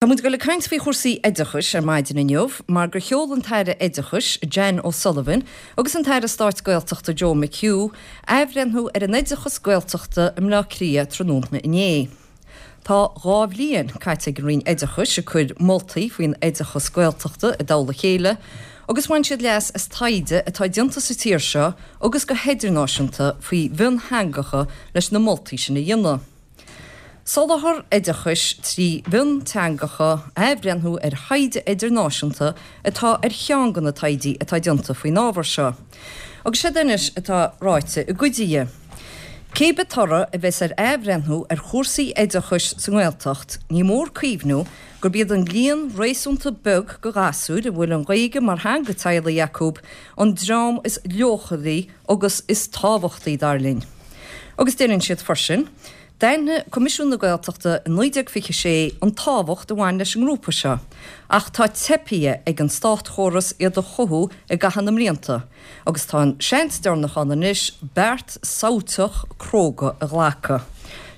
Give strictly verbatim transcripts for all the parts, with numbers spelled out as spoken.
Tá muid ag dul ag caint faoi chúrsaí oideachais ar maidin inniu mar gur sheol an tAire Oideachais, Jan O'Sullivan, agus an tAire Stáit Gaeltachta Joe McHugh athbhreithniú ar an oideachas Gaeltachta i mBleá Cliath tráthnóna inné. Tá dhá bhliain caite ag an Roinn Oideachais ag cur moltaí faoin oideachas Gaeltachta i dtoll a chéile agus bhain siad leas as taighde atá déanta sa tír seo agus go hidirnáisiúnta faoi mhiontheangacha leis na moltaí sin a dhéanamh. Soláthar oideachais trí mhionteangacha, athbhreithniú ar thaighde idirnáisiúnta atá ar cheann de na taighdí atá déanta faoin ábhar seo. Agus séard anois atá ráite i gcuid dhe. Cé bith toradh a bheas ar athbhreithniú ar chúrsaí oideachais sa nGaeltacht, ní mór cuimhniú gurb iad an líon réasúnta beag de ghasúir a bhfuil an Ghaeilge mar theanga teaghlaigh acu an dream is leochailí agus is tábhachtaí, dar linn. Agus deireann siad freisin, D'aithin Coimisiún na Gaeltachta i naoi déag fiche sé an tábhacht a bhain leis an ngrúpa seo, ach tá teipthe ag an státchóras iad a chothú i gcaitheamh na mblianta, agus tá an seans deireanach ann anois beart samhailteach cróga a ghlacadh.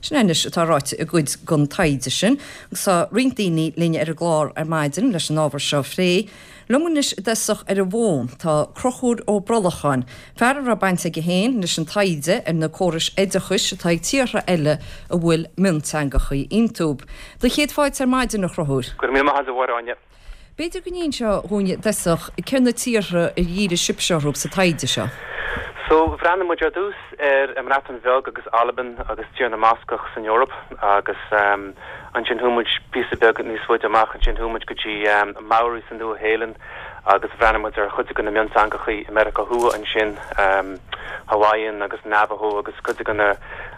Sin é anois atá ráite i gcuid den taighde sin, agus tá roinnt daoine linn ar an gclár ar maidin leis an ábhar seo a phlé. Liom anois i dtosach ar an bhfón tá Conchúr Ó Brolacháin, fear a raibh baint aige féin leis an taighde ar na córais oideachais atá ag tíortha eile a bhfuil mionteangachaí iontu. Do chéad fáilte ar maidin, a Chonchúir. Go raibh míle maith agat, a Mháire Áine. B'fhéidir go n-inseofá dhúinn i dtosach cé na tíortha ar dhírigh sibhse orthu sa taighde seo. So, bhreathnaigh muid ar dtús ar an mBreatain Bheag agus Albain agus Tír na mBascach san Eoraip agus ansin chuaigh muid píosa beag níos faide amach, ansin chuaigh muid go dtí Maori sa Nua-Shéalainn agus bhreathnaigh muid ar chuid de na mionteangachaí i Meiriceá Thuaidh ansin, Hawaiian agus Navajo agus cuid de na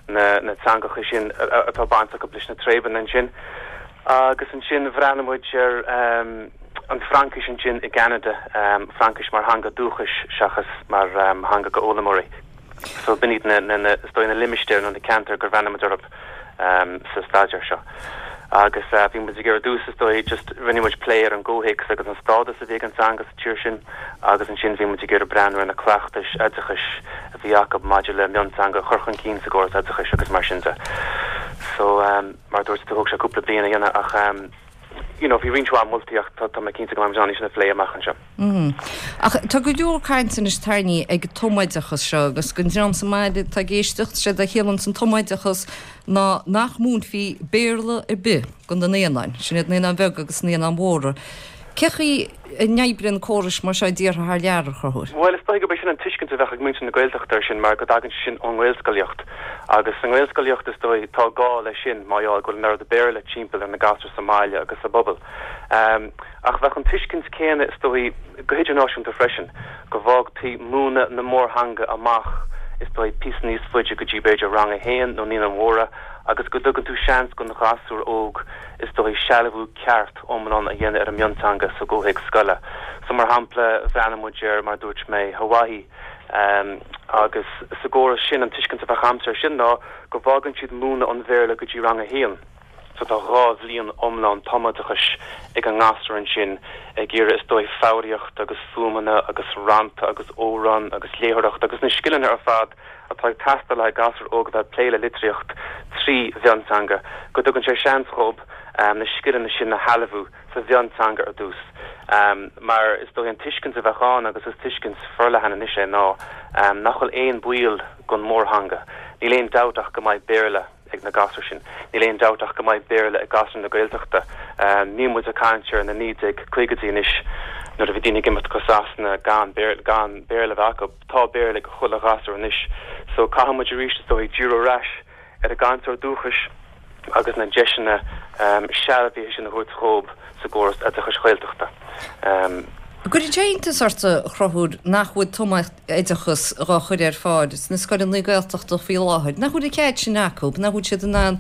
na teangachaí sin atá baint acu leis na tréibeanna ansin. Agus ansin bhreathnaigh muid ar an Fraincis ansin i gCeanada, Fraincis mar theanga dúchais seachas mar theanga go fhoghlaimeoirí. So b'in iad na, na, na, is dóigh na limistéir nó na ceantair gur bhreathnaigh muid orthu sa staidéar seo. Agus bhí muid ag iarraidh ar dtús is dóigh just rinne muid plé ar an gcomhthéacs agus an stádas a bhí ag an teanga sa tír sin agus ansin bhí muid ag iarraidh breathnú ar na cleachtais oideachais a bhí acu maidir le mionteanga a chur chun cinn sa gcóras oideachais agus mar sin de. So mar a dúirt tú thóg sé cúpla bliain a dhéanamh ach you know bhí roinnt mhaith moltaí ach tá mé cinnte go mbeidh muid in ann sin a phlé amach anseo. Ach tá go leor cainte anois tarraingthe ag an tumoideachas seo agus don dream sa mbaile atá ag éisteacht, séard a chiallaíonns an tumoideachas ná nach múinfí Béarla ar bith do na naíonáin, sin iad naíonáin bheaga agus naíonáin mhóra. Cé chaoi a n-oibríonn córais mar seo i dtíortha thar lear, a Chonchúir? Bhuel, is dóigh gurb é sin an tuiscint a bheadh ag muintir na Gaeltachta air sin mar go dtagann sé sin ón nGaelscolaíocht. Agus sa nGaelscolaíocht, is dóigh, tá gá leis sin mar gheall go bhfuil an oiread Béarla timpeall ar na gasúir sa mbaile agus sa bpobal. Ach bheadh an tuiscint céanna, is dóigh, go hidirnáisiúnta freisin, go bhfágtaí múineadh na mórtheanga amach, is dóigh, píosa níos faide go dtí b'fhéidir rang a haon nó naíonáin mhóra agus go dtugann tú seans don ghasúr óg, is dóigh, sealbhú ceart iomlán a dhéanamh ar an mionteanga sa gcomhthéacs scoile. So, mar shampla, bhreathnaigh muid ar, mar a dúirt mé, Hawaii, agus sa gcóras sin, an tuiscint a bheadh agamsa air sin ná go bhfágann siad múineadh an Bhéarla go dtí rang a haon. So tá dhá bhliain iomlán tumoideachais ag an ngasúr ansin ag iarraidh, is dóigh, foghraíocht agus fuaimeanna agus rannta agus amhráin agus léitheoireacht agus na scileanna ar fad atá ag teastáil le haghaidh gasúr óg a bheith ag plé le litríocht trí mhionteanga, go dtugann sé seans dhób na scileanna sin a shealbhú sa mhionteanga ar dtús. Mar is dóigh an tuiscint a bheadh ann, agus is tuiscint forleathan anois é, ná nach bhfuil aon baol don mhórtheanga. Níl aon dabht ach go mbeidh Béarla ag na gasúir sin. Níl aon dabht ach go mbeidh Béarla ag gasúir na Gaeltachta. Níl muid ag caint ar na naoi déag caogaidí anois nuair a bhí daoine ag imeacht go Sasana gan gan Béarla a bheith acu. Tá Béarla ag chuile ghasúr anois so caithfidh muid arís is dóigh díriú ar ais ar an gcainteoir dúchais agus na deiseanna sealbhaithe sin a thabhairt dhób sa gcóras oideachais Ghaeltachta. An gcuireann sé iontas ort, a Chonchúir, nach bhfuil tumoideachas dhá chur ar fáil sna scoileanna Gaeltachta faoi láthair? Nach bhfuil an cead sin acu? Nach bhfuil siad in ann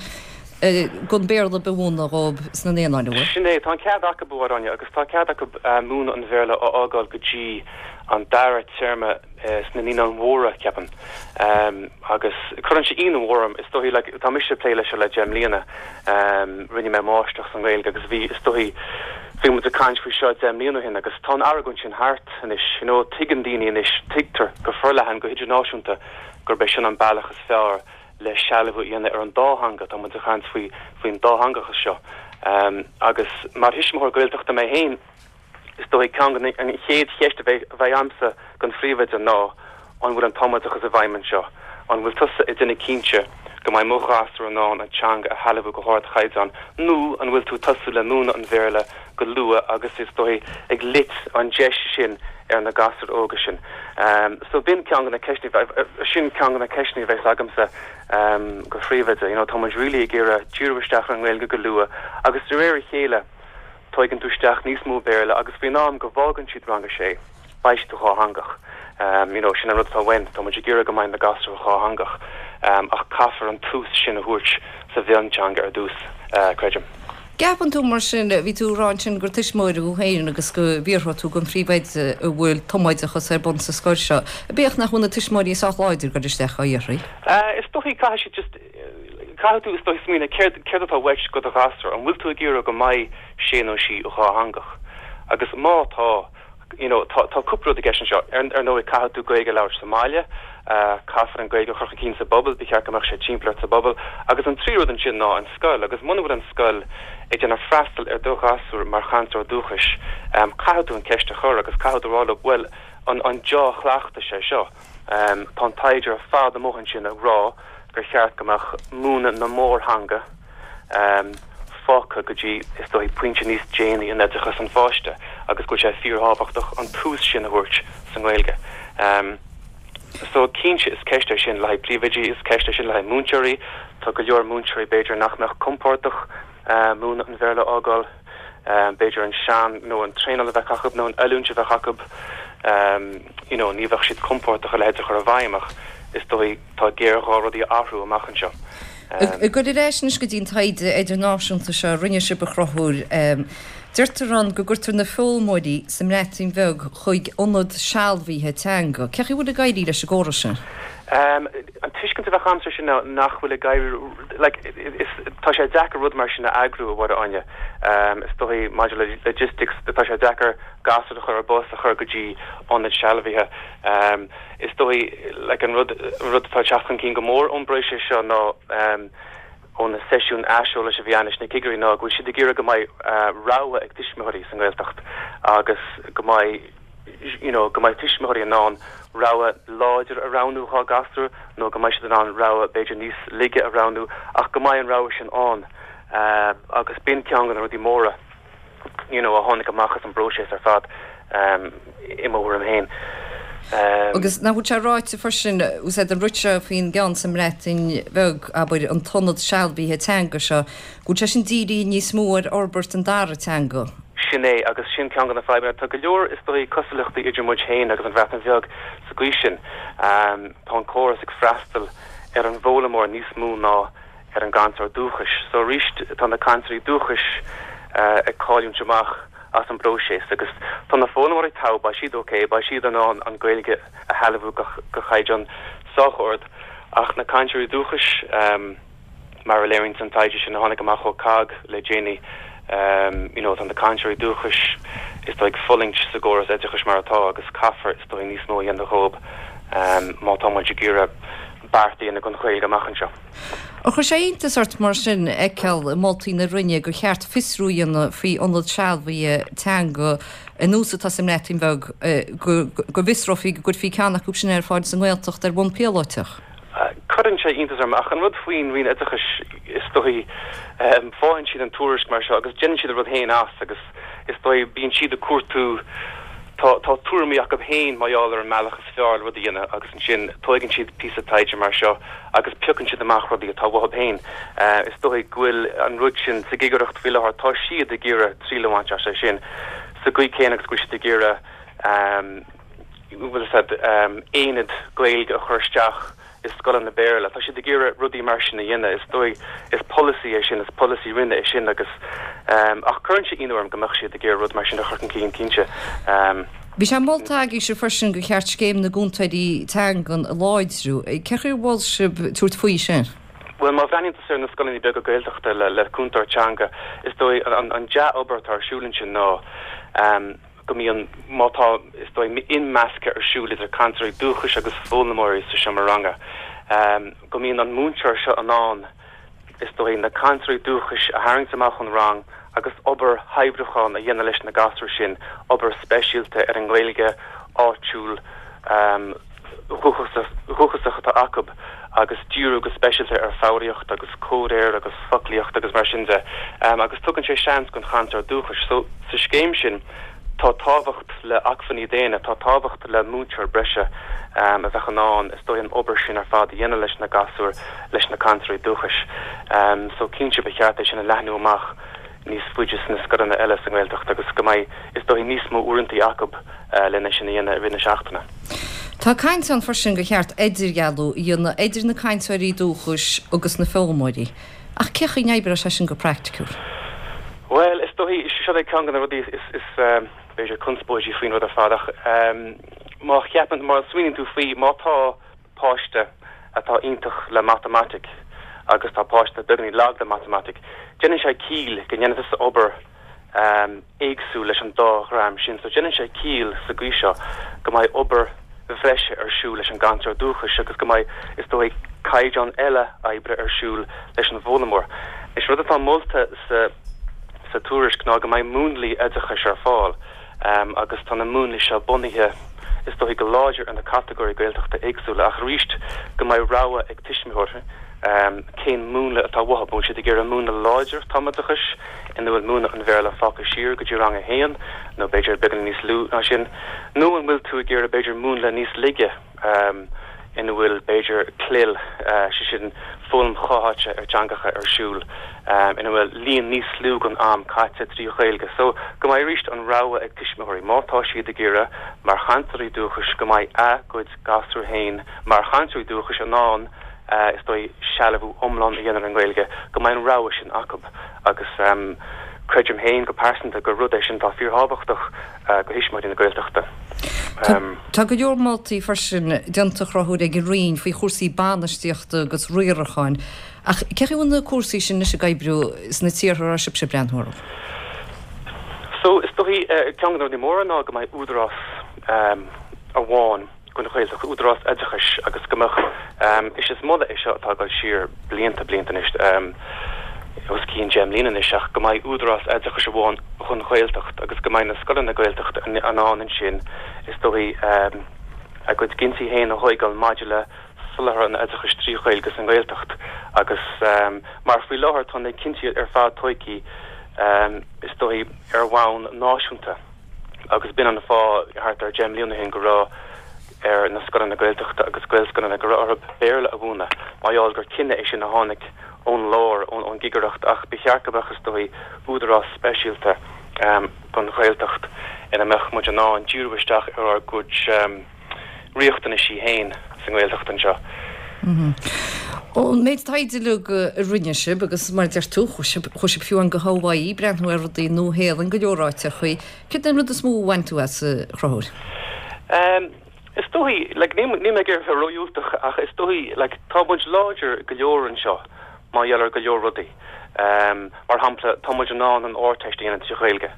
gan Béarla ar bith a mhúineadh dhóibh sna naíonáin, an bhfuil? Sin é, tá an cead acu, a Mháire Áine, agus tá cead acu múineadh an Bhéarla a fhágáil go dtí an dara téarma sna Naíonáin Mhóra, ceapaim. Agus cuireann sé ionadh mór orm, is dóigh, like, tá mise ag plé leis seo le deich mbliana, rinne mé máistreacht sa nGaeilge agus bhí, is dóigh, bhí muid ag caint faoi seo deich mbliana ó shin agus tá an argóint sin thart anois, you know, tuigeann daoine anois, tuigtear go forleathan, go hidirnáisiúnta gurb é sin an bealach is fearr le sealbhú a dhéanamh ar an dá theanga, tá muid ag caint faoi, faoin dátheangachas seo. Agus mar thuismitheoir Gaeltachta mé féin, is dóigh ceann an chéad cheist a bheidh agamsa don phríomhoide ná an bhfuil an tumoideachas i bhfeidhm anseo? An bhfuil tusa ag déanamh cinnte go mbeidh mo ghasúr in ann an teanga a shealbhú go hardchaighdeán nó an bhfuil tú tosú le múineadh an Bhéarla go luath agus is dóigh ag loit an deis sin ar na gasúir óga sin? So b'in ceann de na ceisteanna, sin ceann de na ceisteanna a bheas agamsa go phríomhoide. You know, tá muid really ag iarraidh díriú isteach ar an nGaeilge go luath agus de réir a chéile tógann tú isteach níos mó Béarla agus faoin am go bhfágann siad rang a sé, beidh siad dhátheangach. You know, sin an rud atá uainn, tá muid ag iarraidh go mbeidh na gasúir dhátheangach ach caithfear an tús sin a thabhairt sa mhionteanga ar dtús, creidim. Ceapann tú mar sin, bhí tú ag rá ansin gur tuismitheoir thú féin agus go bhfiafródh tú den phríomhoide an bhfuil tumoideachas ar bun sa scoil seo, bíodh nach bhfuil na tuismitheoirí sách láidir ag dul isteach á iarraidh? Is dóichí caithfidh siad just, caithfidh tú is dóichí smaoineamh céard, céard atá uait do do ghasúr, an bhfuil tú ag iarraidh go mbeidh sé nó sí dhátheangach? Agus má tá, you know, tá, tá cúpla rud i gceist anseo. Ar, ar ndóigh, caithfidh tú Gaeilge a labhairt sa mbaile, caithfear an Ghaeilge a chur chun cinn sa bpobal, ba cheart go mbeadh sé timpeall ort sa bpobal. Agus an tríú rud ansin ná an scoil, agus muna bhfuil an scoil ag déanamh freastal ar do ghasúr mar chainteoir dúchais, caithfidh tú an ceist a chur agus caithfidh tú rá leo, bhuel, an, an dea-chleachtas é seo? Tá an taighde ar fad amuigh ansin ag rá gur cheart go mbeadh múineadh na mórtheanga fágtha go dtí, is dóigh, pointe níos déanaí in oideachas an pháiste agus go bhfuil sé fíorthábhachtach an tús sin a thabhairt sa nGaeilge. So, cinnte, is ceist é sin le haghaidh príomhoidí, is ceist é sin le haghaidh múinteoirí. Tá go leor múinteoirí b'fhéidir nach mbeadh compordach múineadh an Bhéarla a fhágáil, b'fhéidir an sean nó an traenáil a bheith acu nó an oiliúint a bheith acu, you know, ní bheadh siad compordach a leithéid a chur i bhfeidhm ach is dóigh tá géarghá rudaí a athrú amach anseo. Ag dul ar ais anois go dtí an taighde idirnáisiúnta seo a rinne sibh a Chonchúir, deirtear ann go gcuirtear na foghlaimeoirí sa mBreatain Bheag chuig ionad sealbhaithe teanga. Cén chaoi a bhfuil ag éirí leis an gcóras sin? An tuiscint a bheadh agamsa air sin ná nach bhfuil ag éirí, like, is, tá sé deacair rud mar sin a eagrú, a Mháire Áine. Is dóigh maidir le logistics, tá sé deacair gasúr a chur ar bus a chur go dtí ionad sealbhaithe. Is dóigh, like, an rud, an rud atá ag teacht chun cinn go mór ón bpróiseas seo ná ó na seisiúin aiseolais a bhí ann leis na cigirí ná go bhfuil siad ag iarraidh go mbeidh rogha ag tuismitheoirí sa nGaeltacht agus go mbeidh, you know, go mbeidh tuismitheoirí in ann rogha láidir a roghnú dhá gasúr nó go mbeidh siad in ann rogha b'fhéidir níos laige a roghnú ach go mbeidh an rogha sin ann agus b'in ceann de na rudaí móra. you know, a tháinig amach as an bpróiseas ar fad, i mo thuairim féin. Agus nach bhfuil sé ráite freisin, úsáid an rud seo faoin gceann sa mBreatain Bheag, abair, an t-ionad sealbhaithe teanga seo, go bhfuil sé sin dírithe níos mó ar fhorbairt an dara teanga. Sin é, agus sin ceann de na fadhbanna. Tá go leor, is dóigh, cosúlachtaí idir muid féin agus an Bhreatain Bheag sa gcaoi sin. Tá an córas ag freastal ar an bhfoghlaimeoir níos mó ná ar an gcainteoir dúchais. So arís tá na cainteoirí dúchais ag cailliúint amach as an bpróiseas agus tá na foghlaimeoirí togha, beidh siad ok, beidh siad in ann an Ghaeilge a shealbhú go caighdeán sách ard ach na cainteoirí dúchais, mar a léiríonn an taighde sin a tháinig amach ó COGG le déanaí, you know tá na cainteoirí dúchais is dóigh ag fulaingt sa gcóras oideachais mar atá agus caithfear is dóigh níos mó a dhéanamh dhóibh má tá muid ag iarraidh beart a dhéanamh don Ghaeilge amach anseo. Ar chuir sé iontas ort mar sin a fheiceáil i moltaí na Roinne gur cheart fiosrú a dhéanamh faoi ionad sealbhaithe teanga ar nós atá sa mBreatain Bheag, go bhfiosrófaí go gcuirfí ceann acu sin ar fáil sa nGaeltacht ar bhonn píolótach? Cuireann sé iontas orm, ach an rud faoin Roinn Oideachais, is dóigh, faigheann siad an tuairisc mar seo agus déanann siad a rud féin as agus is dóigh bíonn siad ag cuartú, Tá tá tuairimí acu féin mar gheall ar an mbealach is fearr le rud a dhéanamh agus ansin tóigeann siad píosa taighde mar seo agus piocann siad amach rudaí atá uathu féin. Is dóigh go bhfuil an rud sin sa gcigireacht faoi láthair, tá siad ag iarraidh triail a bhaint as é sin sa gcaoi céanna agus go bhfuil siad ag iarraidh, bhfuil a fhios agat, aonad Gaeilge a chur isteach i scoileanna Béarla. Tá siad ag iarraidh rudaí mar sin a dhéanamh. Is dóigh, is polasaí é sin, is polasaí Roinne é sin agus, ach cuireann sé ionadh orm go mbeadh siad ag iarraidh rud mar sin a chur chun cinn, cinnte. Bhí sé molta agaibhse freisin gur cheart scéim na gcúntóirí teangan a láidriú. Cén chaoi ar mhol sibh tabhairt faoi sin? Bhuel, má bhreathnaíonn tusa ar na scoileanna beaga Gaeltachta le cúntóir teanga, is dóigh an dea-obair atá ar siúl ansin ná, go mbíonn, má tá, is dóigh, imeascadh ar siúl idir cainteoirí dúchais agus foghlaimeoirí sa seomra ranga, go mbíonn an múinteoir seo in ann, is dóigh, na cainteoirí dúchais a tharraingt amach ón rang agus obair shaibhriúcháin a dhéanamh leis na gasúir sin, obair speisialta ar an nGaeilge áitiúil dhúchasach atá acu agus díriú go speisialta ar foghraíocht agus comhréir agus foclaíocht agus mar sin de agus tugann sé seans don chainteoir dúchais. So sa scéim sin tá tábhacht le acmhainní daonna, tá tábhacht le múinteoir breise a bheadh in ann is dóigh an obair sin ar fad a dhéanamh leis na gasúir, leis na cainteoirí dúchais. So cinnte ba cheart é sin a leathnú amach níos faide sna scoileanna eile sa nGaeltacht agus go mbeidh is dóigh níos mó uaireanta acu lena sin a dhéanamh i rith na seachtaine. Tá caint ann freisin gur cheart idirdhealú a dhéanamh idir na cainteoirí dúchais agus na foghlaimeoirí. Ach cén chaoi a n-oibreoidh sé sin go praiticiúil? Bhuel, is dóigh, seo é ceann de na rudaí is, is b'fhéidir conspóidí faoin rud ar fad ach má cheapann, má smaoiníonn tú faoi, má tá páiste atá iontach le matamaitic agus tá páiste beagáinín lag le matamaitic, déanann sé ciall go ndéanfaidh tusa obair éagsúil leis an dá dhream sin. So déanann sé ciall sa gcaoi seo go mbeidh obair bhreise ar siúl leis an gcainteoir dúchais agus go mbeidh, is dóigh, caighdeán eile oibre ar siúl leis an bhfoghlaimeoir. Is rud atá molta sa sa tuairisc ná go mbeidh múnlaí oideachais ar fáil agus tá na múnlaí seo bunaithe, is dóigh, go láidir ar na catagóirí Gaeltachta éagsúla ach arís go mbeidh rogha ag tuismitheoirí cén múnla atá uathu, an bhfuil siad ag iarraidh múnla láidir tumoideachais ina bhfuil múineadh an Bhéarla fágtha siar go dtí rang a haon nó b'fhéidir beagán níos lú ná sin, nó an bhfuil tú ag iarraidh b'fhéidir múnla níos laige ina bhfuil b'fhéidir CLIL, sé sin foghlaim chomhtháite ar teangacha ar siúl, ina bhfuil líon níos lú den am caite trí Ghaeilge. So go mbeidh arís an rogha ag tuismitheoirí má tá siad ag iarraidh mar chainteoirí dúchais go mbeidh a gcuid gasúr féin mar chainteoirí dúchais in ann is dóigh sealbhú iomlán a dhéanamh ar an nGaeilge, go mbeidh an rogha sin acu agus creidim féin go pearsanta gur rud é sin atá fíorthábhachtach do thuismitheoirí na Gaeltachta. Tá go leor moltaí freisin déanta a Chonchúir ag an Roinn faoi chúrsaí bainistíochta agus riaracháin ach cén chaoi a bhfuil na cúrsaí sin anois ag oibriú sna tíortha a raibh sibhse ag breathnú orthu? So is dóigh ceann de na rudaí móra ná go mbeidh údarás amháin don Ghaeltacht, údarás oideachais agus go mbeadh, is is moladh é seo atá ag dul siar blianta, blianta anois, os cionn deich mbliana anois, ach go mbeidh údarás oideachais amháin don Ghaeltacht agus go mbeidh na scoileanna Gaeltachta in ann ansin, is dóigh, a gcuid cinntí féin a thógáil maidir le soláthar an oideachais trí Ghaeilge sa nGaeltacht agus mar faoi láthair tá na cinntí ar fad tógtha, is dóigh, ar bhonn náisiúnta. Agus b'in an fáth, thart ar deich mbliana ó shin, go raibh ar na scoileanna Gaeltachta agus Gaelscoileanna, go raibh orthu Béarla a mhúineadh, mar gheall gur cinneadh é sin a tháinig ón lár, ón gcigireacht, ach ba cheart go mbeadh, is dóigh, údarás speisialta don Ghaeltacht ina mbeadh muid in ann díriú isteach ar ár gcuid riachtanaisí féin sa nGaeltacht anseo. Ón méid taighde uilig a rinne sibh, agus mar a deir tú, chuaigh sibh fiú amháin go Hawaii, breathnú ar rudaí i Nua-Shéalainn, go leor áiteachaí, céard é an rud is mó a bhain tú as, a Chonchúir? Is dóigh, like, níl mé ag iarraidh a bheith ródhiúltach, ach is dóigh, like, tá muid láidir go leor anseo mar gheall ar go leor rudaí. Mar shampla, tá muid in ann an Ardteist a dhéanamh trí Ghaeilge.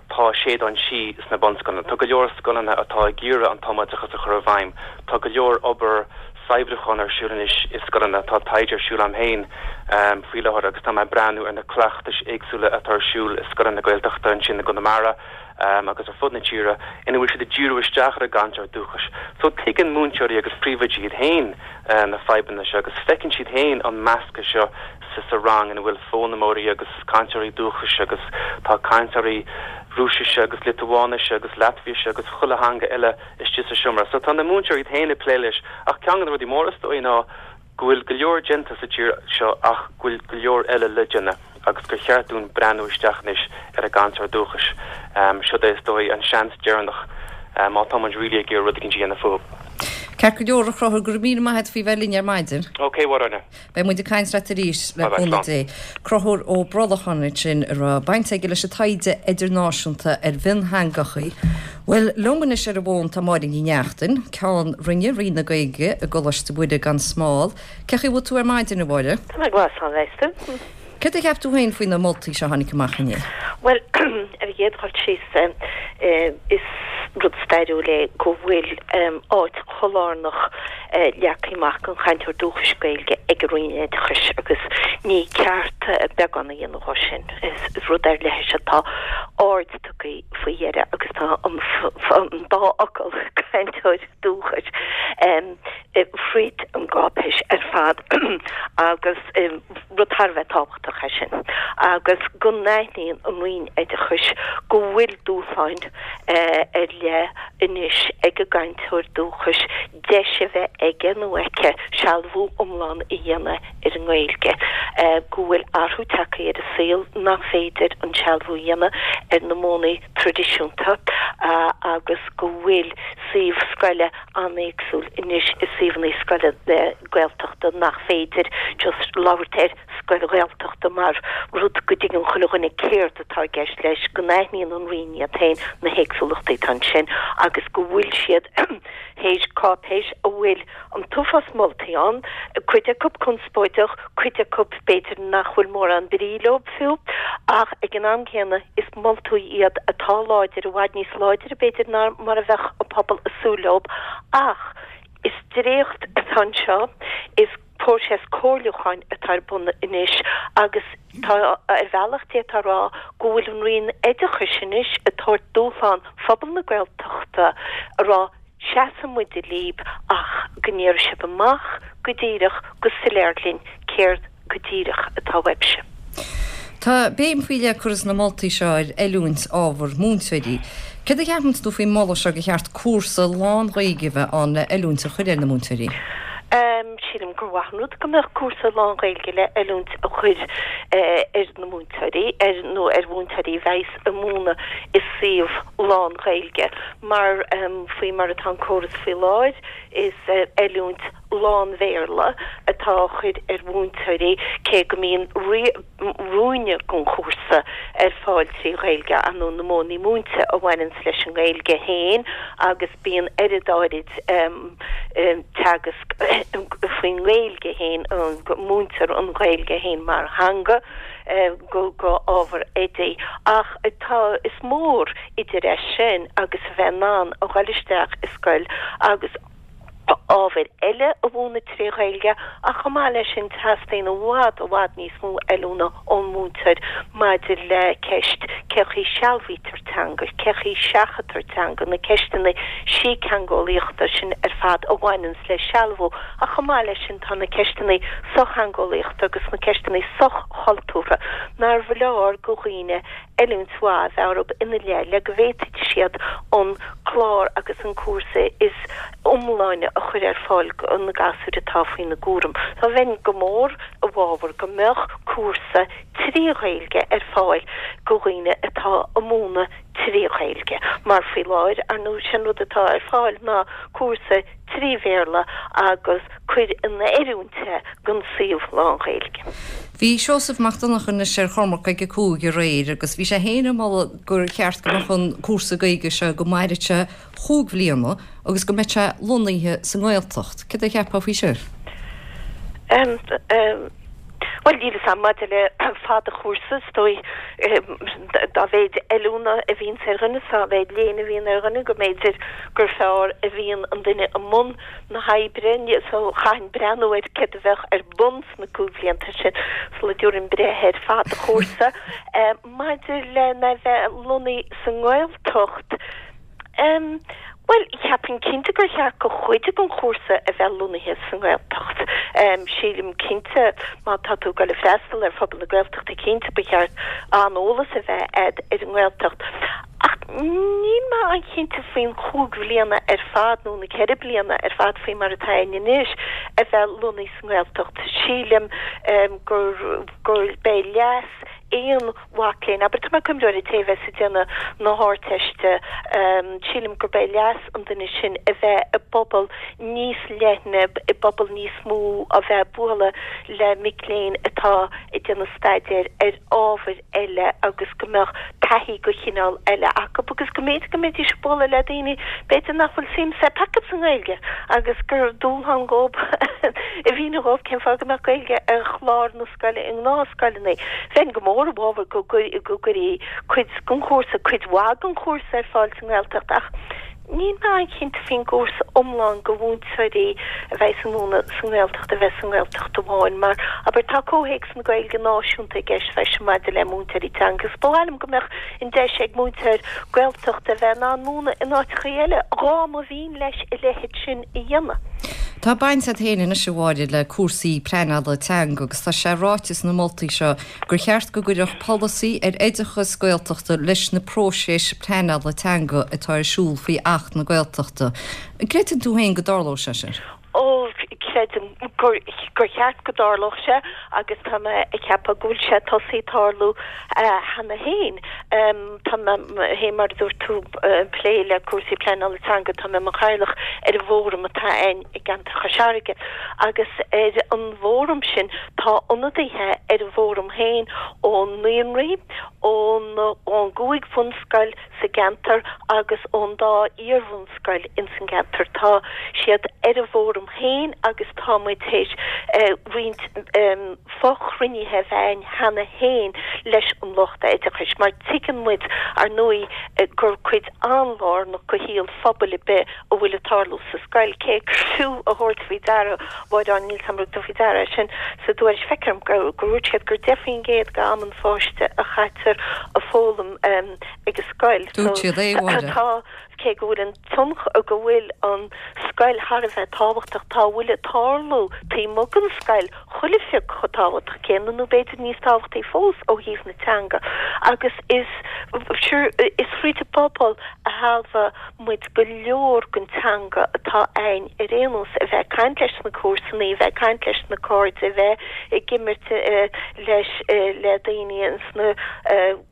Tá Séideán Sí sna bunscoileanna. Tá go leor scoileanna atá ag iarraidh an tumoideachas a chur i bhfeidhm. Tá go leor obair saibhriúcháin ar siúl anois i scoileanna. Tá taighde ar siúl agam féin faoi láthair agus tá mé ag breathnú ar na cleachtais éagsúla atá ar siúl i scoileanna Gaeltachta ansin i gConamara agus ar fud na tíre ina bhfuil siad ag díriú isteach ar an gcainteoir dúchais. So tuigeann múinteoirí agus príomhoidí iad féin na fadhbanna seo agus feiceann siad féin an meascadh seo sa sa rang ina bhfuil foghlaimeoirí agus cainteoirí dúchais agus tá cainteoirí Rúisise agus Liotuáinise agus Laitviaise agus chuile theanga eile istigh sa seomra. So tá na múinteoirí iad féin ag plé leis ach ceann de na rudaí móra is dóigh ná go bhfuil go leor déanta sa tír seo ach go bhfuil go leor eile le déanamh agus gur cheart dúinn breathnú isteach anois ar an gcainteoir dúchais. Siod é is dóigh an seans deireanach má tá muid really ag iarraidh rud eicínt a dhéanamh fúthu. Ceart go leor, a Chonchúir, go raibh míle maith agat faoi bheith linn ar maidin. Ok, a Áine. Beidh muid ag caint leat arís, le cúnamh Dé. Conchúr Ó Brolcháin ansin a raibh baint aige leis an taighde idirnáisiúnta ar mhiontheangachaí. Bhuel, liom anois ar an bhfón tá Máire Ní Neachtain, Ceann Roinne, Roinn na Gaeilge i gColáiste Mhuire gan Smál. Cén chaoi a bhfuil tú ar maidin, a Mháire? Tá mé go maith, slán leis tú. Céard a cheap tú féin faoi na moltaí seo a tháinig amach inné? Bhuel, ar an gcéad dul síos, is. rud stairiúil é go bhfuil áit chomh lárnach leagtha amach don chainteoir dúchais Gaeilge ag an Roinn Oideachais agus ní ceart beagán a dhéanamh dhó sin. Is rud ar leith é seo, tá aird tugtha faoi dheireadh agus tá an dá fhocal cainteoir dúchais fríd an gcáipéis ar fad agus rud thar a bheith tábhachtach é sin agus go n-aithníonn an Roinn Oideachais go bhfuil dúshláin ar leith anois ag an gcainteoir dúchais deis a bheith aige nó aici sealbhú iomlán a dhéanamh ar an nGaeilge, go bhfuil athrú tagtha ar an saol nach féidir an sealbhú a dhéanamh ar na modhanna traidisiúnta agus go bhfuil suíomh scoile an-éagsúil anois i suíomhanna scoile Gaeltachta nach féidir just labhairt ar scoil Ghaeltachta mar rud go dtuigeann chuile dhuine céard atá i gceist leis, go n-aithníonn an Roinn iad féin na héagsúlachtaí atá ansin agus go bhfuil siad théis cáipéis a bhfuil an t-uafás moltaí ann, cuid acu conspóideach, cuid acu b'fhéidir nach bhfuil mórán brí leo fiú, ach ag an am céanna is moltaí iad atá láidir, i bhfad níos láidre b'fhéidir ná mar a bheadh an pobal ag súil leo. Ach is dréacht atá anseo, is próiseas comhairliúcháin atá ar bun anois agus tá ar bhealach d'fhéadfá a rá go bhfuil an Roinn Oideachais anois ag tabhairt dúshlán phobal na Gaeltachta a rá seasfaidh muid libh ach go ndéarfaidh sibh amach go díreach, go soiléir linn céard go díreach atá uaibhse. Tá béim faoi leith curtha sna moltaí seo ar oiliúint ábhar múinteoirí. Céard a cheapann tú faoin moladh seo gur cheart cúrsa lán-Ghaeilge a bheith ann le oiliúint a chur ar na múinteoirí? Sílim gur mhaith an rud go mbeadh cúrsa lán-Ghaeilge le oiliúint a chur ar na múinteoirí, ar nó ar mhúinteoirí a bheas ag múineadh i suíomh lán-Ghaeilge mar faoi mar atá an córas faoi láthair is oiliúint lán-Bhéarla atá á chur ar mhúinteoirí cé go mbíonn ruainne den chúrsa ar fáil trí Ghaeilge, ar ndóigh na modhanna múinte a bhaineanns leis an nGaeilge féin agus bíonn oiread áirid teagasc faoin nGaeilge féin, go múintear an Ghaeilge féin mar theanga go go ábhar oidí. Ach tá, is mór idir é sin agus a bheith in ann a dhul isteach i scoil agus ábhair eile a mhúineadh trí Ghaeilge ach chomh maith leis sin teastaíonn i bhfad, i bhfad níos mó oiliúna ón múinteoir maidir le ceist cé chaoi sealbhaítear teanga, cé chaoi seachadtar teanga, na ceisteanna síctheangeolaíochta sin ar fad a bhaineanns le sealbhú ach chomh maith leis sin tá na ceisteanna sochtheangeolaíochta agus na ceisteanna soch-chultúrtha nárbh leor go dhaoine oiliúint mhaith a bheith orthu ina leith le go bhféadfaidh siad an clár agus an cúrsa is iomláine a chur ar fáil go na gasúir atá faoina gcúram. So bheinn go mór i bhfabhar go mbeadh cúrsa trí Ghaeilge ar fáil go dhaoine atá ag múineadh trí Ghaeilge mar faoi láthair, ar ndóigh, sé'n rud atá ar fáil ná cúrsa trí Bhéarla agus cuir in oiriúint é don suíomh lán-Ghaeilge. Bhí Seosamh Mac Donncha anois ar Chormac ag a cúig aréir agus bhí sé féin ag moladh gur cheart go mbeadh an cúrsa Gaeilge seo go mairfeadh sé chúig bhliana agus go mbeadh sé lonnaithe sa nGaeltacht. Céard a cheapfá faoi sin? Bhuel, níl 'fhios a'm maidir le fad an chúrsa, is dóigh dá mhéid oiliúna a bhíonns ar dhuine, dá mhéid léinn a bhíonn ar dhuine, go mb'fhéidir gur fearr a bhíonn an duine i mbun na hoibre, so chaithfinn breathnú ar céard a bheadh ar bun sna cúig bhlianta sin sula dtabharfainn breith ar fad an chúrsa. Maidir lena bheith lonnaithe sa nGaeltacht, Em, bhuel, cheapfainn cinnte gur cheart go chuid den chúrsa a bheith lonnaithe sa nGaeltacht. Em, sílim cinnte má tá tú ag dul ag freastal ar phobal na Gaeltachta cinnte ba cheart an-eolas a bheith a'd ar an nGaeltacht. Ach níl mé an-chinnte faoin chúig bhliana ar fad nó na ceithre bliana ar fad faoi mar atá ann anois a bheith lonnaithe sa nGaeltacht. Sílim, em, gur, gur b'é leas aon mhac léinn, abair, tá mé ag cuimhniú ar an té a bheas ag déanamh na hArdteiste, sílim gurb é leas an duine sin a bheith i bpobal níos leithne, i bpobal níos mó, a bheith ag bualadh le mic léinn atá ag déanamh staidéir ar ábhair eile agus go mbeadh taithí de chineál eile acu agus go mb'fhéidir go mbeidís ag bualadh le daoine b'fhéidir nach bhfuil suim acu sa nGaeilge agus gur dúshlán dhóibh a mhíniú dhóibh cén fáth go mbeadh Gaeilge ar chlár na scoile i ngnáthscoileanna. Bheinn go mór i bhfabhar go gcuirfí cuid den chúrsa, cuid mhaith den chúrsa ar fáil sa nGaeltacht ach Níl mé an-chinnte faoin gcúrsa iomlán go mhúinteoirí a bheas ag múineadh sa nGaeltacht a bheith sa nGaeltacht amháin mar, abair, tá comhthéacs na Gaeilge náisiúnta i gceist freisin maidir le múinteoirí teanga agus ba mhaith liom go mbeadh an deis ag múinteoir Gaeltachta a bheith in ann múineadh in áiteachaí eile dhá mba mhian leis a leithéid sin a dhéanamh. Tá baint agat féin anois, a Mháire, le cúrsaí pleanála teanga agus tá sé ráite sna moltaí seo gur cheart go gcuirfeadh polasaí ar oideachas Gaeltachta leis na próisis pleanála teanga atá ar siúl faoi Acht na Gaeltachta. An gcreideann tú féin go dtarlóidh sé sin? Ó, creidim gur gur cheart go dtarlódh sé agus tá mé ag ceapadh go bhfuil sé tosaithe ag tarlú cheana féin. Tá mé féin, mar a dúirt tú, ag plé le cúrsaí pleanála teanga, tá mé i mo chathaoirleach ar an bhfóram atá ann i gceantar Chois Fharraige agus ar an bhfóram sin tá ionadaithe ar an bhfóram féin ó naíonraí, ón ón gcúig bhunscoil sa gceantar agus ón dá iarbhunscoil ins an gceantar. Tá siad ar an bhfóram féin agus tá muid théis roinnt fochruinnithe a bheith againn cheana féin leis an lucht oideachais mar tuigeann muid, ar ndóigh, gur cuid an-lárnach de shaol phobail ar bith a bhfuil ag tarlú sa scoil, cé gur fiú a thabhairt faoi deara, Mháire, níl 's a'm an raibh tú faoi deara é sin sa dtuairisc, feictear dom gur dúirt siad gur deich faoin gcéad d'am an pháiste a chaitear ag foghlaim ag an scoil. Dúirt siad é, a Mháire. Tá, cé go bhfuil an tionchar, go bhfuil an scoil thar a bheith tábhachtach, tá a bhfuil ag tarlú taobh amuigh den scoil chuile phioc chomh tábhachtach céanna, nó b'fhéidir níos tábhachtaí fós ó thaobh na teanga. Agus is, sure, is fríd an bpobal a shealbhaíonn muid go leor den teanga atá againn ar aon nós, a bheith ag caint leis na comharsanaí, a bheith ag caint leis na cairde, a bheith ag imirt leis, le daoine ins na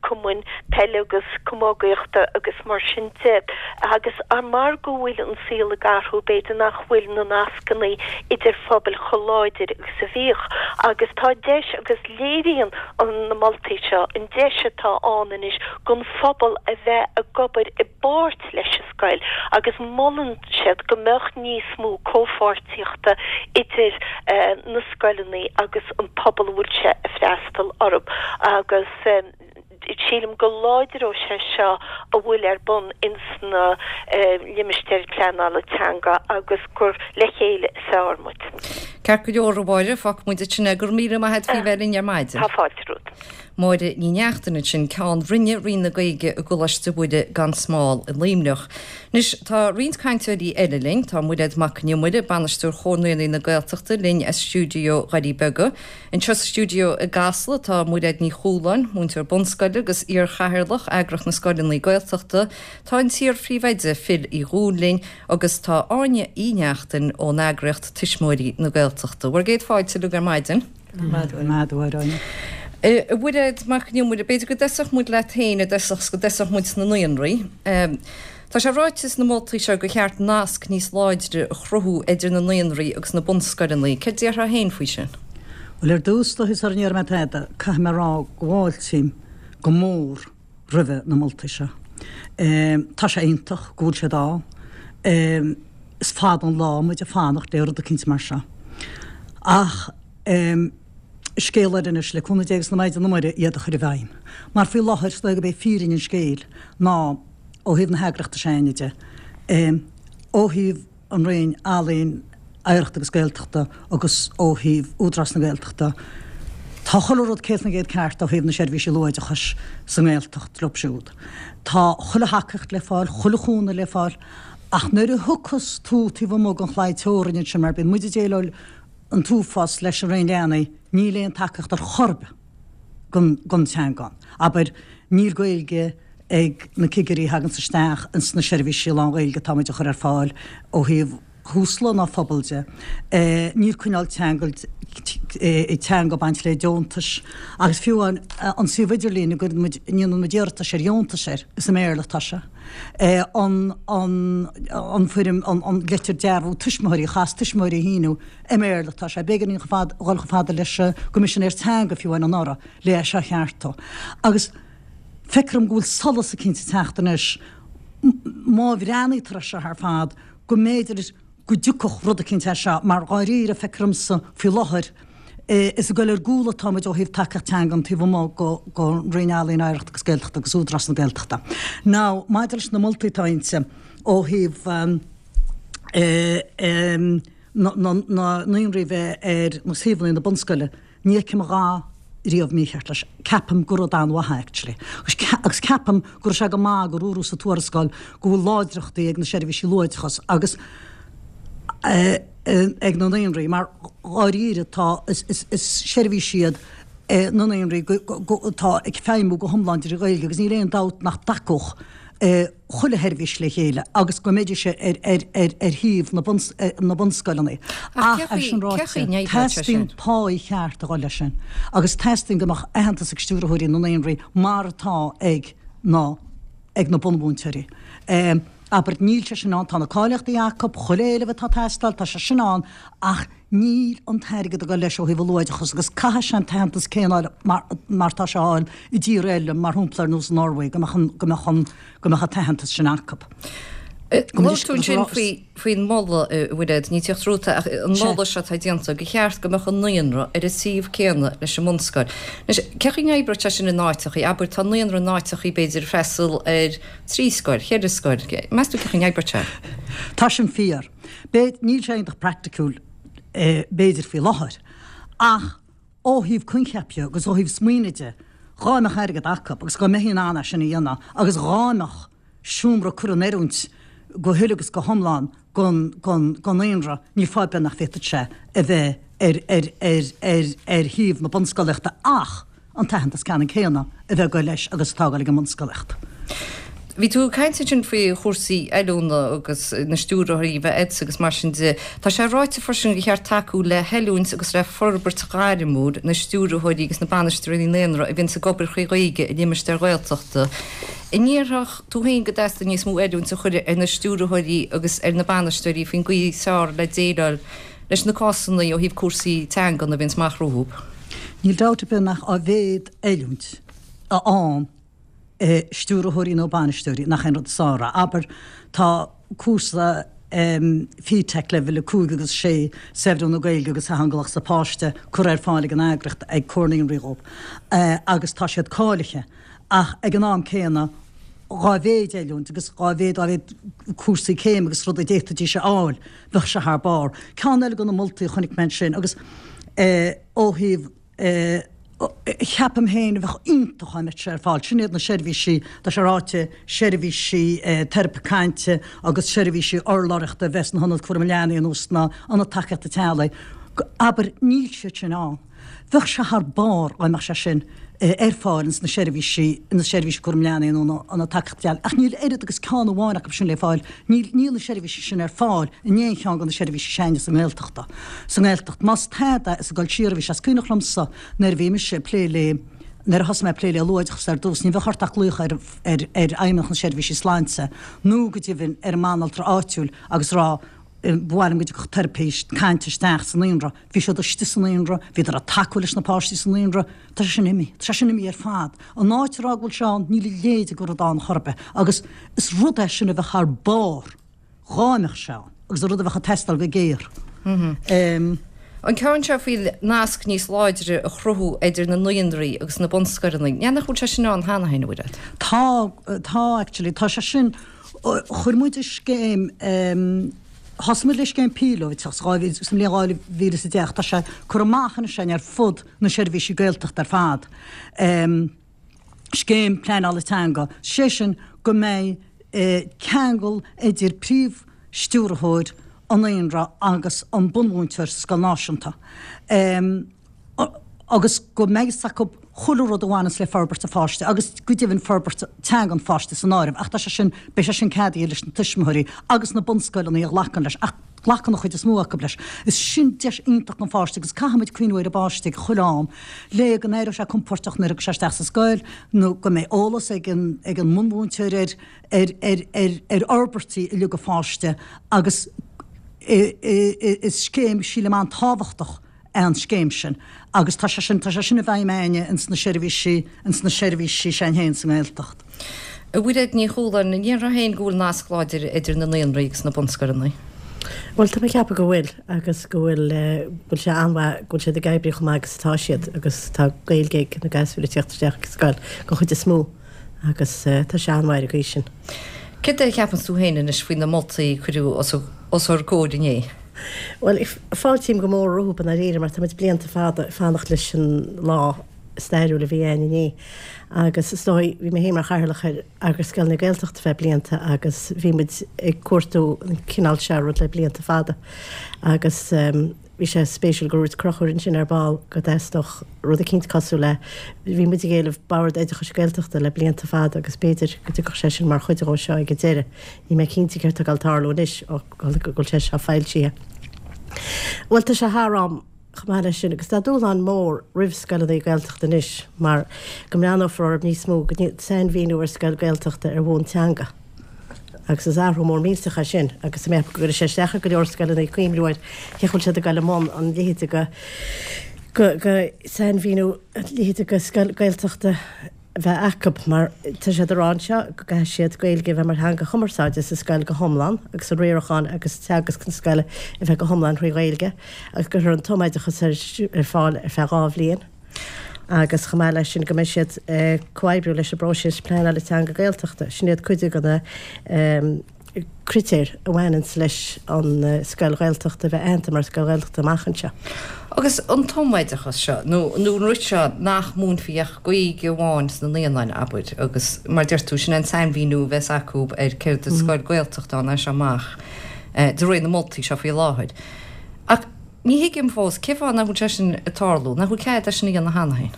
cumainn peile agus camógaíochta agus mar sin de. Agus mar go bhfuil an saol ag athrú, b'fhéidir nach bhfuil na nascanna idir phobail chomh láidir agus a bhíodh. Agus tá deis, agus léiríonn na moltaí seo an deis atá ann anois don phobal a bheith ag obair i bpáirt leis an scoil agus molann siad go mbeadh níos mó comhpháirtíochta idir na scoileanna agus an pobal a bhfuil sé ag freastal orthu agus sílim go láidreoidh sé seo a bhfuil ar bun ins na limistéir pleanála teanga agus gur le chéile is fearr muid. Ceart go leor, a Mháire, fágfaidh muid ansin é. Go raibh míle maith agat faoi bheith linn ar maidin. Tá fáilte romhat. Máire Ní Neachtain ansin, Ceann Roinne Roinn na Gaeilge i gColáiste Mhuire gan Smál i Luimneach. Anois, tá roinnt cainteoirí eile linn. Tá Mairéad Mac Con Iomaire, Bainisteoir Chomhar Naíonraí na Gaeltachta, linn as stiúideo Dhoirí Beaga. Anseo sa stiúideo i gCasla tá Mairéad Ní Chualáin, múinteoir bunscoile agus iar-chathaoirleach Eagraíocht na Scoileanna Gaeltachta. Tá an t-iar-phríomhoide Phil Uí Dhúill linn agus tá Áine Uí Neachtain ón eagraíocht Tuismitheoirí na Gaeltachta. Bhur gcéad fáilte uilig ar maidin. Maith thú, a Áine. A Mhairéad Mac Con Iomaire, b'fhéidir go dtosódh muid leat féin i dtosach 's go dtosódh muid sna naíonraí. Tá sé ráite sna moltaí seo gur cheart nasc níos láidre a chruthú idir na naíonraí agus na bunscoileanna. Céard a déarfá féin faoi sin? Bhuel, ar dtús, sara ndéarfaidh mé tada, caithfidh mé a rá go bhfáiltím go mór roimhe na moltaí seo. Tá sé iontach go bhfuil siad ann. Is fada an lá muid ag fanacht le rud eicínt mar seo. Ach scéal eile anois, le cúnamh Dé agus na Maighdine Muire, iad a chur i bhfeidhm. Mar faoi láthair, is dóigh gurb é fírinne an scéil ná, ó thaobh na heagraíochta s'againne de, ó thaobh an Roinn Ealaíon, Oidhreachta agus Gaeltachta agus ó thaobh Údarás na Gaeltachta, tá chuile rud céad faoin gcéad ceart ó thaobh na seirbhísí luathoideachais sa nGaeltacht leo siúd. Tá chuile thacaíocht le fáil, chuile chúnamh le fáil ach nuair a thiocfas tú taobh amuigh den chlaí teorainn ansin, mar bíonn muid ag déileáil an t-uafás leis an Roinn Leanaí, níl aon tacaíocht ar chor ar bith don don teanga ann. Abair, níl Gaeilge ag na cigirí a thaganns isteach ins na seirbhísí lán-Ghaeilge atá muid a chur ar fáil ó thaobh Thúsla ná phobal de. Níl coinneáil teanga teanga ag baint le deontais agus fiú amháin an suíomh idirlín a gcuireann muid, a ndéanann muid iarratais ar dheontais air, is i mBéarla atá sé. An an an foirm, an an litir dearbhú tuismitheoirí, a chaithfeas tuismitheoirí a shíniú, i mBéarla atá sé. B'éigean dúinn chomh fada, dhul chomh fada leis an gCoimisinéir Teanga fiú amháin anuraidh le é seo a cheartú. Agus feictear dom go bhfuil solas eicínt ag teacht anois má bhreathnaítear air seo ar fad, go mb'fhéidir go dtiocfadh rud eicínt as seo mar dháiríre, feictear domsa faoi láthair, Is ag goil ar gcúl atá muid ó thaobh tacaíocht teangan taobh amuigh den Roinn Ealaíon, Oidhreachta agus Gaeltachta agus Údarás na Gaeltachta. Now, maidir leis na moltaí atá inti ó thaobh na naíonraí bheith ar na suíomhanna na bunscoile, ní fheicim a dhath riamh mícheart leis. Ceapaim gur rud an-mhaith é actually. Agus ceapaim go raibh sé go maith gur dúradh sa tuarascáil go bhfuil láidreachtaí ag na seirbhísí luathoideachais agus ag na naíonraí mar dháiríre tá is seirbhísí iad na naíonraí atá ag feidhmiú go hiomlán trí Ghaeilge agus níl aon dabht nach dtacódh chuile sheirbhís le chéile agus go mbeidís ar ar thaobh na bunscoileanna. Ach é sin ráite, teastaíonn páí cheart a dhul leis sin agus teastaíonn go mbeadh aitheantas ag stiúrthóirí na naíonraí mar atá ag na ag na bunmhúinteoirí. Abair, níl sé sin ann, tá na cáilíochtaí acu, chuile éileamh atá ag teastáil, tá sé sin ann, ach níl an t-airgead ag dul leis ó thaobh an luathoideachais agus caithfidh sé an t-aitheantas céanna a fháil mar tá sé á fháil i dtíortha eile, mar shampla ar nós an Norway, go mbeadh an, go mbeadh an, go mbeadh an t-aitheantas sin acu. Labhair tú ansin faoi, faoin moladh, a Mhairéad, ní tíocht romhat ach an moladh seo atá déanta, gur cheart go mbeadh an naíonra ar an suíomh céanna leis an mbunscoil. Anois, cén chaoi a n-oibreodh sé sin in áiteachaí? Abair, tá naíonra in áiteachaí, b'fhéidir, ag freastal ar trí scoil, cheithre scoil. Meas tú cén chaoi a n-oibreodh sé? Tá sin fíor. Níl sé iontach praiticiúil, b'fhéidir, faoi láthair. Ach ó thaobh coincheap dhe agus ó thaobh smaoinigh de, dhá mbeadh airgead acu agus dhá mbeifí in ann é sin a dhéanamh agus dhá mbeadh seomra curtha in oiriúint go huile agus go hiomlán don naíonra, níl fáth ar bith nach bhféadfadh sé a bheith ar ar ar shuíomh na bunscolaíochta ach an t-aitheantas ceannann céanna a bheith ag goil leis agus atá ag goil ag an mbunscolaíocht. Bhí tú ag caint ansin faoi chúrsaí oiliúna agus na stiúrthóirí a bheith agat agus mar sin de. Tá sé ráite freisin gur cheart tacú le hoiliúint agus le forbairt ghairmiúil na stiúrthóirí agus na bainisteoirí naíonra a bhíonns ag obair trí Ghaeilge i limistéir Ghaeltachta. An ndéarfadh tú féin go dteastaíonn níos mó oiliúint a chur ar na stiúrthóirí agus ar na bainisteoirí faoin gcaoi is fearr le déileáil leis na cásanna ó thaobh cúrsaí teangan a bhíonns amach rompu? Níl dabht ar bith nach á mhéad oiliúint a fhaigheann stiúrthóirí nó bainisteoirí, nach é an rud is fearr é. Abair, tá cúrsa FETAC leibhéal a cúig agus a sé, saibhriú na Gaeilge agus Theangeolaíocht sa Pháiste, curtha ar fáil ag an eagraíocht, ag Comhar Naíonraí dhóibh agus tá siad cáilithe ach ag an am céanna dhá mhéid oiliúint agus dhá mhéid dhá mhéid cúrsaí céime agus rudaí a d'fhéadfaidís a fháil, bheadh sé thar barr. Ceann eile de na moltaí a chonaic mé ansin agus ó thaobh Ceapaim féin a bheadh iontach dá mbeadh sé ar fáil. Sin iad na seirbhísí, tá sé ráite, seirbhísí teiripe cainte agus seirbhísí urlabhraíochta a bheith sna hionaid cúraim leanaí nó sna hionaid tacaíochta teaghlaigh. Abair, níl siad sin ann. Bheadh sé thar barr dá mbeadh sé sin ar fáil ins na seirbhísí, na seirbhísí cúraim leanaí nó na hionaid tacaíochta teaghlaigh. Ach níl oiread agus ceann amháin acu sin le fáil. Níl, níl na seirbhísí sin ar fáil in aon cheann de na seirbhísí s'againne sa nGaeltachta. Sa nGaeltacht. Más tada, is ag dul siar a bhí sé. Is cuimhneach liomsa nuair a bhí mise ag plé le, nuair a thosaigh mé ag plé le luathoideachas ar dtús, ní bheadh ort ach glaoch ar, ar, ar fheidhmeannach na seirbhísí sláinte nó go deimhin ar an mbanaltra áitiúil agus rá, ba mhaith liom go dtiocfadh teiripís cainte isteach sa naíonra. Bhí siad istigh sa naíonra, bhíodar ag tacú leis na páistí sa naíonra. Tá sé sin imithe. Tá sé sin imithe ar fad. An áit a rá go bhfuil sé ann, níl a leithéid de rud ann chor ar bith. Agus is rud é sin a bheadh thar barr dhá mbeadh sé ann agus rud a bheadh ag teastáil go géar. An ceann seo faoi nasc níos láidre a chruthú idir na naíonraí agus na bunscoileanna, ní nach bhfuil sé sin ann cheana féin, a Mhairéad? Tá, tá actually. Tá sé sin, chuir muid i scéim, thosaigh muid le scéim píolótach sa mbliain dhá mhíle is a deich, tá sé curtha amach anois againn ar fud na seirbhísí Gaeltachta ar fad, scéim pleanála teanga, sé sin go mbeidh ceangal idir príomh-stiúrthóir an naíonra agus an bunmhúinteoir sa scoil náisiúnta. Agus go mbeidh fhios acu chuile rud a bhaineas le forbairt an pháiste agus go deimhin forbairt teanga an pháiste san áireamh ach tá sé sin, beidh sé sin ceadaithe leis na tuismitheoirí agus na bunscoileanna a ghlacann leis ach glacann an chuid is mó acu leis. Is sin deis iontach don pháiste agus caithfimid cuimhniú ar an bpáiste ag chuile am le go n-éireoidh sé compordach nuair a thiocfaidh sé isteach sa scoil nó go mbeidh eolas ag an ag an mbunmhúinteoir ar ar ar ar ar fhorbairtí uilig an pháiste agus is scéim sílim an-tábhachtach é an scéim sin agus tá sé sin, tá sé sin i bhfeidhm a'inne ins na seirbhísí, ins na seirbhísí s'a'inn féin sa nGaeltacht. A Mhairéad Ní Chualáin, an ndéarfá féin go bhfuil nasc láidir idir na naíonraí agus na bunscoileanna? Bhuel tá mé ag ceapadh go bhfuil agus go bhfuil bhfuil sé an-mhaith go bhfuil siad ag oibriú chomh maith agus atá siad agus tá Gaeilge ag na gasúir ag teacht isteach ag scoil den chuid is mó agus tá sé an-mhaith ar an gcaoi sin. Céard é a cheapann tú féin anois faoi na moltaí a cuireadh os ár gcomhair inné? Bhuel, fáiltím go mór rompu i ndáiríre mar tá muid blianta fada ag fanacht leis an lá stairiúil a bhí ann inné agus is dóigh, bhí mé féin mar chathaoirleach ar Eagras Scoileanna Gaeltachta feadh blianta agus bhí muid ag cuartú an cineál seo rud le blianta fada agus bhí sé spéisiúil gur dhúirt Conchúr ansin ar ball go dteastódh rud eicínt cosúil le, bhí muid ag éileamh Bord Oideachais Gaeltachta le blianta fada agus b'fhéidir go dtiocfadh sé sin mar chuid dhó seo ag an deireadh. Níl mé cinnte céard atá ag dul tarlú anois ó go bhfuil sé seo foilsithe. Bhuel tá sé thar am chomh maith leis sin, agus tá dúshlán mór roimh scoileanna Gaeltachta anois mar go mbreathnófar orthu níos mó, go sainmhíniú ar scoil Gaeltachta ar bhonn teanga. Agus is athrú mór millteach é sin agus tá mé ag ceapadh go gcuirfidh sé isteach ar go leor scoileanna cuimhniú ar cén chaoi a bhfuil siad ag dul i mbun an leithéid de go sainmhíniú a leithéid de scoil Gaeltachta a bheith acu mar tá siad ag rá anseo go gcaithfidh siad Gaeilge a bheith mar theanga chumarsáide sa scoil go hiomlán agus an riarachán agus teagasc na scoile a bheith go hiomlán thrí Ghaeilge agus go gcuirfear an tumoideachas ar fáil ar feadh dhá bhliain agus chomh maith leis sin go mbeidh siad ag comhoibriú leis an bpróiseas pleanála teanga Gaeltachta. Sin iad cuid de na critéir a bhaineanns leis an scoil Ghaeltachta a bheith aitheanta mar scoil Ghaeltachta amach anseo. Agus an tumoideachas seo, nó nó an rud seo nach múinfí ach Gaeilge amháin sna naíonáin, abair, agus mar deir tú, sin é an sainmhíniú a bheas acu ar céard is scoil Ghaeltachta ann as seo amach, de réir na moltaí seo faoi láthair. Ach Ní thuigim fós, cén fáth nach bhfuil sé sin ag tarlú? Nach bhfuil cead é sin a dhéanamh cheana féin?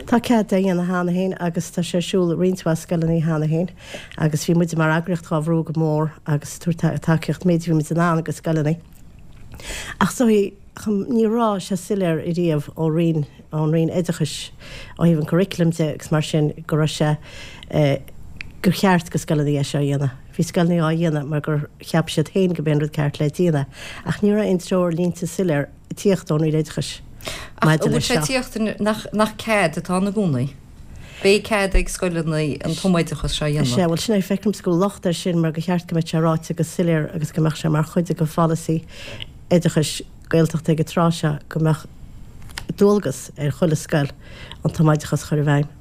Tá cead é a dhéanamh cheana féin agus tá sé ar siúl i roinnt mhaith scoileanna cheana féin agus bhí muide mar eagraíocht dhá bhrú go mór agus ag tabhairt tacaíocht méid a bhí muid in ann go scoileanna. Ach is dóigh, ní raibh sé soiléir ariamh ó Roinn, ón Roinn Oideachais ó thaobh an curriculum de agus mar sin go raibh sé, gur cheart go scoileanna é seo a dhéanamh. Bhí scoileanna á dhéanamh mar gur cheap siad féin go b'é an rud ceart le déanamh, ach ní raibh aon treoirlínte soiléir ag tíocht ón Roinn Oideachais Ach maidir an bhfuil leis sé seo. tíocht nach nach cead atá ann i gcónaí? Beidh cead ag scoileanna an tumoideachas seo a Sea, dhéanamh. bhuel sin é, feicimse go bhfuil locht air sin mar gur cheart go mbeadh sé ráite go soiléir agus go mbeadh sé mar chuid de pholasaí oideachais Gaeltachta ag an tráth seo go mbeadh dualgas ar chuile scoil an tumoideachas a chur i bhfeidhm.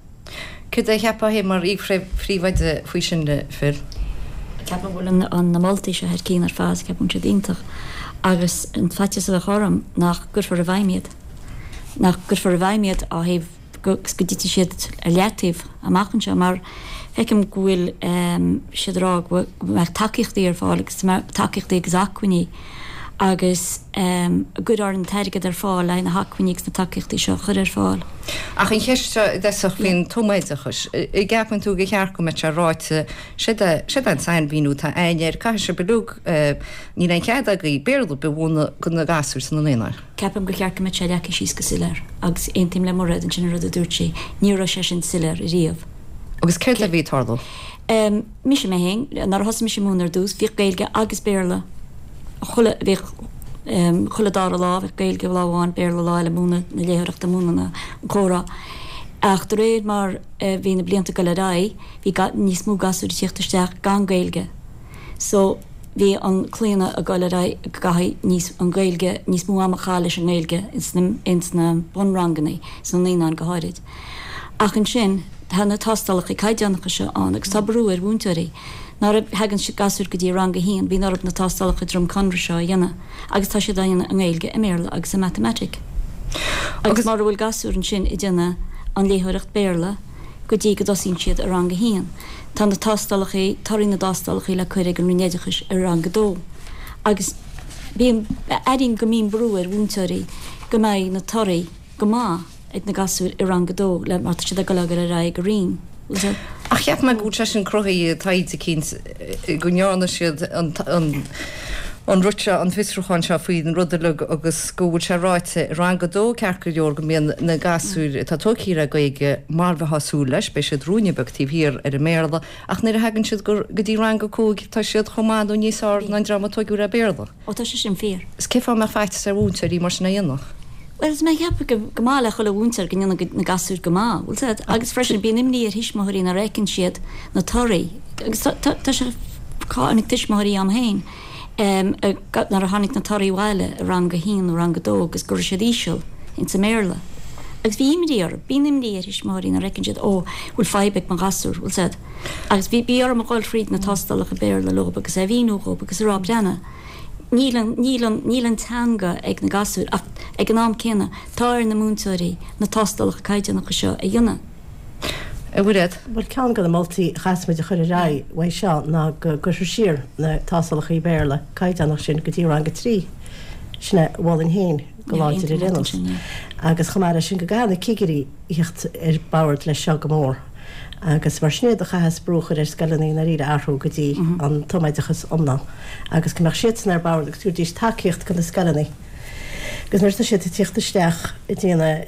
Céard é a cheapfá féin mar iar-phríomhoide faoi sin, Phil? Ceapaim go bhfuil na moltaí seo thar cinn ar fad, ceapaim go bhfuil siad iontach agus an faitíos a bheadh orm nach gcuirfear i bhfeidhm iad, nach gcuirfear i bhfeidhm iad ó thaobh go dtitfidh siad ar leataobh amach anseo mar feicim go bhfuil siad ag rá go mbeadh tacaíochtaí ar fáil agus tacaíochtaí agus acmhainní agus an gcuirfear an t-airgead ar fáil le haghaidh na hacmhainní agus na tacaíochtaí seo a chur ar fáil. Ach an cheist seo i dtosach faoin tumoideachas, an gceapann tú gur cheart go mbeadh sé ráite, séard é, séard é an sainmhíniú atá againn air, caithfidh sibh uilig, níl aon chead agaibh Béarla ar bith a mhúineadh do na gasúir sna naíonáin. Ceapaim gur cheart go mbeadh sé leagtha síos go soiléir agus aontaím le Mairéad ansin an rud a dúirt sí, ní raibh sé sin soiléir ariamh. Agus céard a bhí ag tarlú? Mise mé féin, nuair a thosaigh mise ag múineadh ar dtús, bhíodh Gaeilge agus Béarla chuile, bhíodh chuile dara lá, bheadh Gaeilge lá amháin, Béarla lá eile, múineadh na léitheoireachta, múineadh na, an comhrá. Ach de réir mar a bhí na blianta ag dul ar aghaidh, bhí níos mó gasúir ag tíocht isteach gan Gaeilge. So, bhí an claonadh ag dul ar aghaidh go gcaithfidh níos, an Ghaeilge, níos mó ama a chaitheamh leis an nGaeilge ins na, ins na bunranganna, sna naíonáin go háirid. Ach ansin, tá na tástálacha caighdeánacha seo ann agus tá brú ar mhúinteoirí. Nuair a thagann gasúir go dtí rang a haon, bíonn orthu na tástálacha Droim Conrach seo a dhéanamh agus tá siad á dhéanamh i nGaeilge, i mBéarla agus i Matamaitic. Agus mura bhfuil gasúr ansin ag déanamh an léitheoireacht Béarla go dtí go dtosaíonn siad i rang a haon, tá na tástálacha, torthaí na dtástálacha le cur ag an Roinn Oideachais i rang a dó. Agus bíonn, airím go mbíonn brú ar mhúinteoirí go mbeidh na torthaí go maith. ag na gasúir i rang a dó le mar tá siad ag dul ag dul ar aghaidh go roinn. Ach cheap mé go bhfuil sé sin cruthaithe i dtaighde eicínt go ndearna siad an an rud seo, an fiosrúchán seo faoin rud uilig agus go bhfuil sé ráite i rang a dó ceart go leor go mbíonn na gasúir atá tógtha le Gaeilge mar a bheifeá ag súil leis, beidh siad ruainne beag taobh thiar ar an mBéarla ach nuair a thagann siad go dtí rang a cúig tá siad chomh maith nó níos fearr ná an dream a tógadh le Béarla. Ó tá sé sin fíor. Is cén fáth a mbeadh faitíos ar mhúinteoirí mar sin a dhéanamh? Bhuel, tá mé ag ceapadh go gur maith le chuile mhúinteoir go ndéanann na gasúir go maith, bhfuil 's agat? Agus freisin bíonn imní ar thuismitheoirí nuair a fheiceann siad na torthaí agus tá tá sé tháinig tuismitheoirí agam féin Nuair a tháinig na torthaí abhaile i rang a haon nó rang a dó agus go raibh siad íseal ins an mBéarla. Agus bhí imní orthu, bíonn imní ar thuismitheoirí nuair a fheiceann siad, ó, bhfuil fadhb ag mo ghasúr, bhfuil said. Agus bhí, bhí orm a dhul thríd na tástálacha Béarla leo agus é a mhíniú dhób agus a rá, breathnaigh, níl an, níl an, níl an teanga ag na gasúir ach ag an am céanna tá ar na múinteoirí na tástálacha caighdeánacha seo a dhéanamh. A Mhairéad. Bhuel, ceann de na moltaí a chaithfeas muid a chur ar aghaidh uaidh seo ná go gcuirfear siar na tástálacha Béarla caighdeánach sin go dtí rang a trí. Sin é a mholfainn féin go láidir ar aon nós. Agus chomh maith leis sin go gcaithfidh na cigirí a theacht ar bord leis seo go mór. Agus mar sin é do chaithfeas brú a chur ar scoileanna i ndáiríre athrú go dtí an tumoideachas iomlán agus go mbeadh siadsan ar bord agus tabharfaidís tacaíocht do na scoileanna. Agus nuair atá siad ag tíocht isteach ag déanamh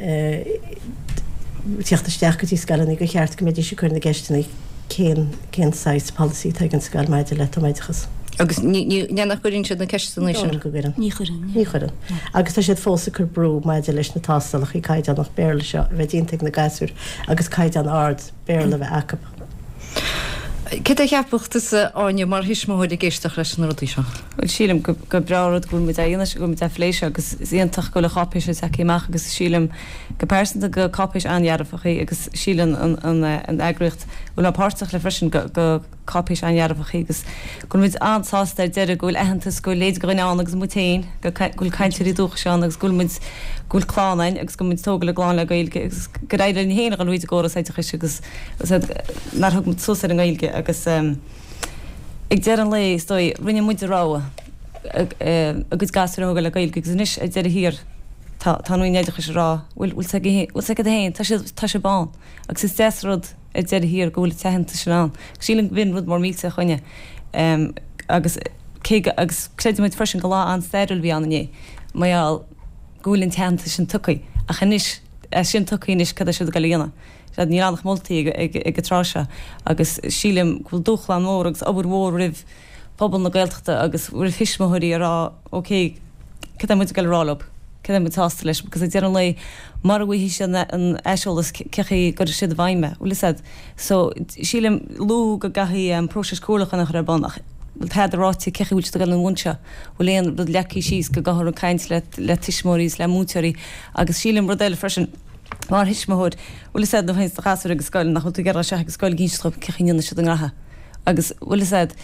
tíocht isteach go dtí scoileanna gur cheart go mbeidís ag cur na gceisteanna cén cén saghas polasaí atá ag an scoil maidir le tumoideachas. Agus ní ní nach gcuireann siad na ceisteanna sin? Ní chuireann. Ní chuireann. Ní chuireann. Agus tá siad fós ag cur brú maidir leis na tástálacha caighdeánach Béarla seo a bheith déanta ag na gasúir agus caighdeán ard Béarla a bheith acu. Céard a cheapfadh tusa, Áine, mar thuismitheoir ag éisteacht leis na rudaí seo? Bhuel, sílim gur breá an rud go bhfuil muid á dhéanamh seo, go bhfuil muid á phlé seo agus is iontach go bhfuil an cháipéis seo tagtha amach agus sílim go pearsanta gur cáipéis an-dhearfach í agus síleann an eagraíocht a bhfuil mé páirteach le freisin go cáipéis an-dhearfach í agus go bhfuil muid an-sásta ar deireadh go bhfuil aitheantas go bhfuil leithéid de dhuine ann agus muid féin, go bhfuil cainteoirí dúchais ann agus go bhfuil muid, go bhfuil clann againn agus go bhfuil muid ag tógáil a gclann le Gaeilge agus gur éirigh linn féin a dhul thríd an gcóras oideachais agus nár thug muid suas ar an nGaeilge agus ag deireadh an lae is dóigh rinne muid a rogha a gcuid gasúir a thógáil le Gaeilge agus anois ar deireadh thiar tá tá an Roinn Oideachais ag rá bhfuil bhfuil bhfuil 's agat féin tá siad tá sibh ann agus is deas an rud ar deireadh thiar go bhfuil an t-aitheantas sin ann. Sílim go b'in rud mór millteach dhúinne agus cé go agus creidimid freisin gur lá an-stairiúil a bhí ann inné mar gheall go bhfuil an t-aitheantas sin tugtha ach anois é sin tugtha anois cad é siad ag dul a dhéanamh? Sea níl ann ach moltaí ag ag ag an tráth seo agus sílim go bhfuil dúshlán mór agus obair mhór roimh phobal na Gaeltachta agus roimh thuismitheoirí a rá ok cad é muid ag dul a rá leo? Cad é muid sásta leis? Because ag deireadh an lae, mara bhfaighidh siad an aiseolas cé chaoi a gcuirfidh siad i bhfeidhm é? Bhfuil fhios a'd? So, sílim luadh go gcaithfidh próiseas comhairliúcháin a chur ar bun ach bhfuil tada ráite cé chaoi a bhfuil siad ag dul ina bhun seo? Bhfuil aon rud leagtha síos go gcaithfear ag caint le le tuismitheoirí is le múinteoirí agus sílim rud eile freisin, mar thuismitheoir, bhfuil fhios a'd nuair a théanns do ghasúr ag an scoil nach bhfuil tú ag iarraidh isteach ag an scoil ag inseacht dhóibh cé chaoi a ndéanann siad a ngraithe agus bhfuil fhios a'd,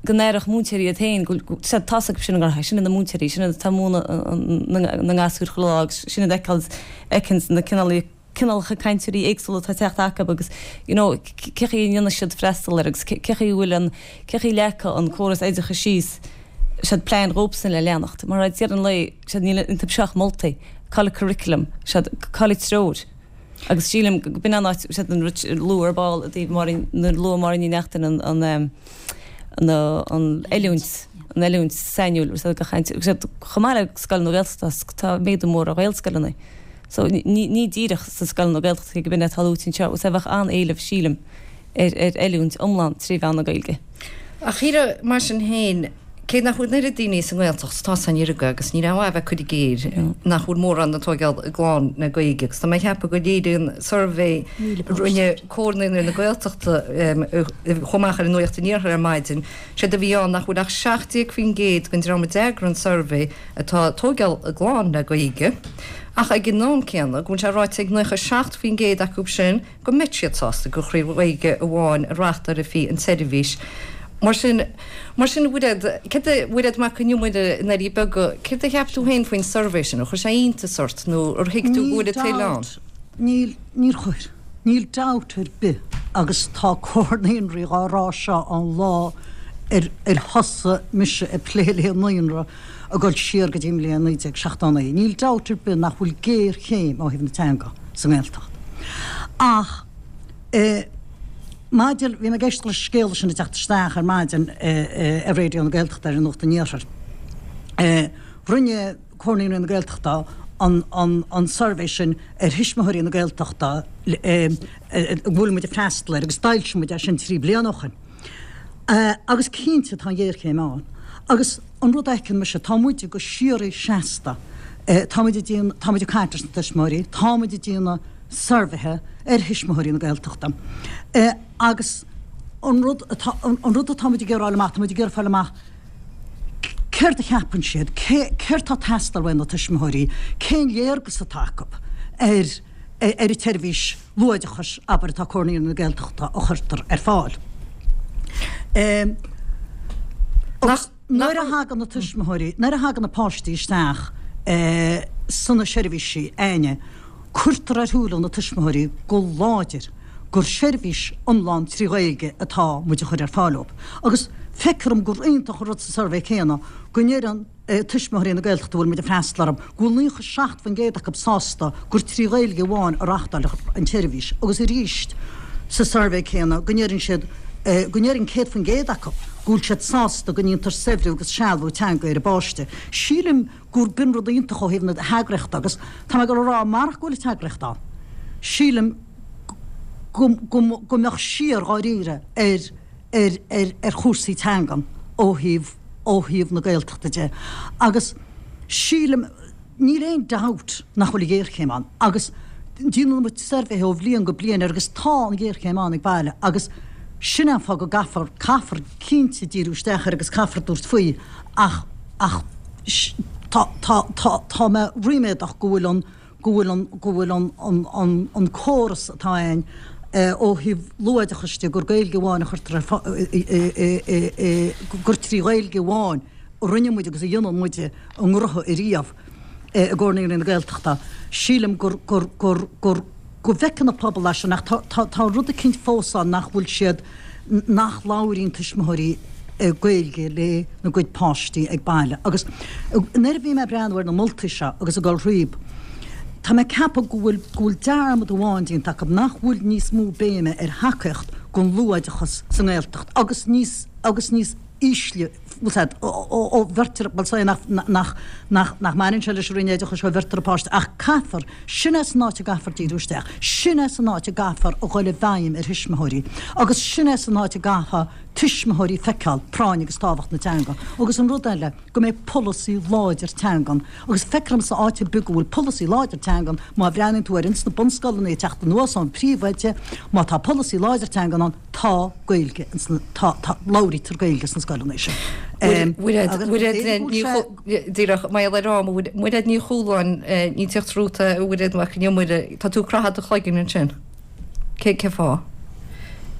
go n-aireodh múinteoirí iad féin go bhfuil, sea, tá's acu sin a ngraithe, sin iad na múinteoirí, sin iad atá ag múineadh na ngasúr chuile lá agus sin iad a fheiceanns na cineálacha cainteoirí éagsúla atá ag teacht acu agus you know cé chaoi a ndéanfaidh siad freastal air agus cé chaoi a bhfuil an, cé chaoi a leagfadh an córas oideachais síos, sea, plean dhóibhsan le leanacht mar ag deireadh an lae, sea, níl iontu seo ach moltaí, cá bhfuil curriculum, sea, cá bhfuil treoir. Agus sílim go b'in an áit, sea, an rud a luadh ar ball i dtaobh Máirín, nuair a luaigh Máirín Ní Neachtain an, an, an, an oiliúint, an oiliúint sainiúil, sea, do chaint, sea, chomh maith le scoileanna Gaeltachta, tá méadú mór ar Ghaelscoileanna. So, ní, ní díreach sna scoileanna Gaeltachta, cé go b'in é atá luaite anseo, sea, bheadh an-éileamh, sílim, ar, ar oiliúint iomlán trí mheán na Gaeilge. Ach shílfeá, mar sin féin, cé nach bhfuil an oiread daoine sa nGaeltacht, tá san fhírinne agus níl aon mhaith a bheith ag cur i gcéill nach bhfuil mórán ag tóigeáil a gclann le Gaeilge agus tá mé ag ceapadh go léiríonn suirbhé a rinne Comhar Naíonraí na Gaeltachta a chuaigh amach ar Nuacht an Iarthair ar maidin, séard a bhí ann nach bhfuil ach seacht déag faoin gcéad den dream a d'fhreagair an suirbhé atá ag tóigeáil a gclann le Gaeilge ach ag an am céanna go bhfuil sé ráite ag naocha seacht faoin gcéad acu sin go mbeadh siad sásta gur trí Ghaeilge amháin a reáchtálfaí an tseirbhís. Mar sin, mar sin, a Mhairéad, céard a, Mhairéad Mac Con Iomaire i nDoirí Beaga, céard a cheap tú féin faoin suirbhé sin? Ar chuir sé iontas ort nó ar thuig tú go Níl bhfuil an toil ann? dabht, níl, níor chuir. Níl dabht ar bith agus tá Comhar Naíonraí dhá rá seo ón lá ar ar thosaigh mise ag plé le naíonra ag dul siar go dtí an bhliain naoi déag seachtó naoi. Níl dabht ar bith nach bhfuil géarchéim ó thaobh na teanga sa nGaeltacht. Ach eh, maidir, bhí mé ag éisteacht leis an scéala sin ag teacht isteach ar maidin ar Raidió na Gaeltachta ar Nuacht an Iarthair. Rinne Comhar Naíonraí na Gaeltachta an, an, an suirbhé sin ar thuismitheoirí na Gaeltachta a bhfuil muid ag freastal air agus d'fhoilsigh muid é sin trí bliana ó shin. Agus cinnte tá an ghéarchéim ann. Agus an rud a fheiceann mise, tá muide go síoraí seasta, tá muid ag déanamh, tá muid ag caint leis na tuismitheoirí, tá muid ag déanamh suirbhéithe ar thuismitheoirí na Gaeltachta agus an rud atá, an rud atá muid ag iarraidh fáil amach, tá muid ag iarraidh fáil amach Céard a cheapann siad, céard tá ag teastáil uaidh na tuismitheoirí, cén léargas atá acu ar ar an tseirbhís luathoideachais, abair, atá Comhar Naíonraí na Gaeltachta a chuirtear ar fáil. Agus nuair a thagann na tuismitheoirí, nuair a thagann na páistí isteach sna seirbhísí againne, cuirtear ar shúile na tuismitheoirí go láidir gur seirbhís iomlán trí Ghaeilge atá muid a chur ar fáil dóibh. Agus feictear dom gur iontach an rud sa suirbhé céanna go ndeireann tuismitheoirí na Gaeltachta a bhfuil muid ag freastal orthu go bhfuil naocha seacht faoin gcéad acu sásta gur trí Ghaeilge amháin a reáchtáiltear an tseirbhís agus arís sa suirbhé céanna go ndeireann siad go ndeireann céad faoin gcéad acu go bhfuil siad sásta go ndéantar saibhriú agus sealbhú teanga ar a bpáiste. Sílim gur b'in rud iontach ó thaobh na heagraíochta agus tá mé ag dul a rá marach go bhfuil an t-eagraíocht ann, sílim go go mbeadh siar dháiríre ar ar ar ar chúrsaí teangan ó thaobh ó thaobh na Gaeltachta de agus sílim níl aon dabht nach bhfuil géarchéim ann agus déanann muid suirbhéithe ó bhliain go bliain air agus tá an ghéarchéim ann ag baile agus sin an fáth go gcaithfear caithfear cinnte díriú isteach air agus caithfear tabhairt faoi ach ach tá tá tá tá mé ríméadach go bhfuil an go bhfuil an go bhfuil an an an an córas atá ann ó thaobh luathoideachais de gur Gaeilge amháin a chuirtear ar gur trí Ghaeilge amháin a rinne muid agus a dhéanann muid a ngnótha ariamh i gComhar Naíonraí na Gaeltachta. Sílim gur gur gur gur go bhfeiceann an pobal é sin ach tá tá tá rud eicínt fós ann nach bhfuil siad nach labhraíonn tuismitheoirí Gaeilge lena gcuid páistí ag baile. Agus nuair a bhí mé ag breathnú ar na moltaí seo agus ag dul thríob, tá mé ag ceapadh go bhfuil go bhfuil dearmad amháin déanta acu, nach bhfuil níos mó béime ar thacaíocht don luathoideachas sa nGaeltacht agus níos agus níos ísle, bhfuil a fhios agat, ó bheirtear, bhuel is é nach nach nach nach mbaineann sé leis an Roinn Oideachais ó bheirtear an páiste ach caithfear, sin é san áit a gcaithfear díriú isteach, sin é san áit a gcaithfear a dhul i bhfeidhm ar thuismitheoirí agus sin é san áit a gcaithfidh tuismitheoirí feiceáil práinn agus tábhacht na teanga agus an rud eile go mbeidh polasaí láidir teangan agus feictear domsa áit ar bith go bhfuil polasaí láidir teangan má bhreathnaíonn tú ar ins na bunscoileanna ag teacht anuas ón príomhoide má tá polasaí láidir teangan ann tá Gaeilge ins na tá tá labhraítear Gaeilge sna scoileanna sin. Mairéad Ní Díreach mar gheall ar am Mairéad Ní Chualáin ní tíocht rúta a Mhairéad Mac an Iomaire tá tú ag croitheadh do chloigeann ansin. Cé cén fáth?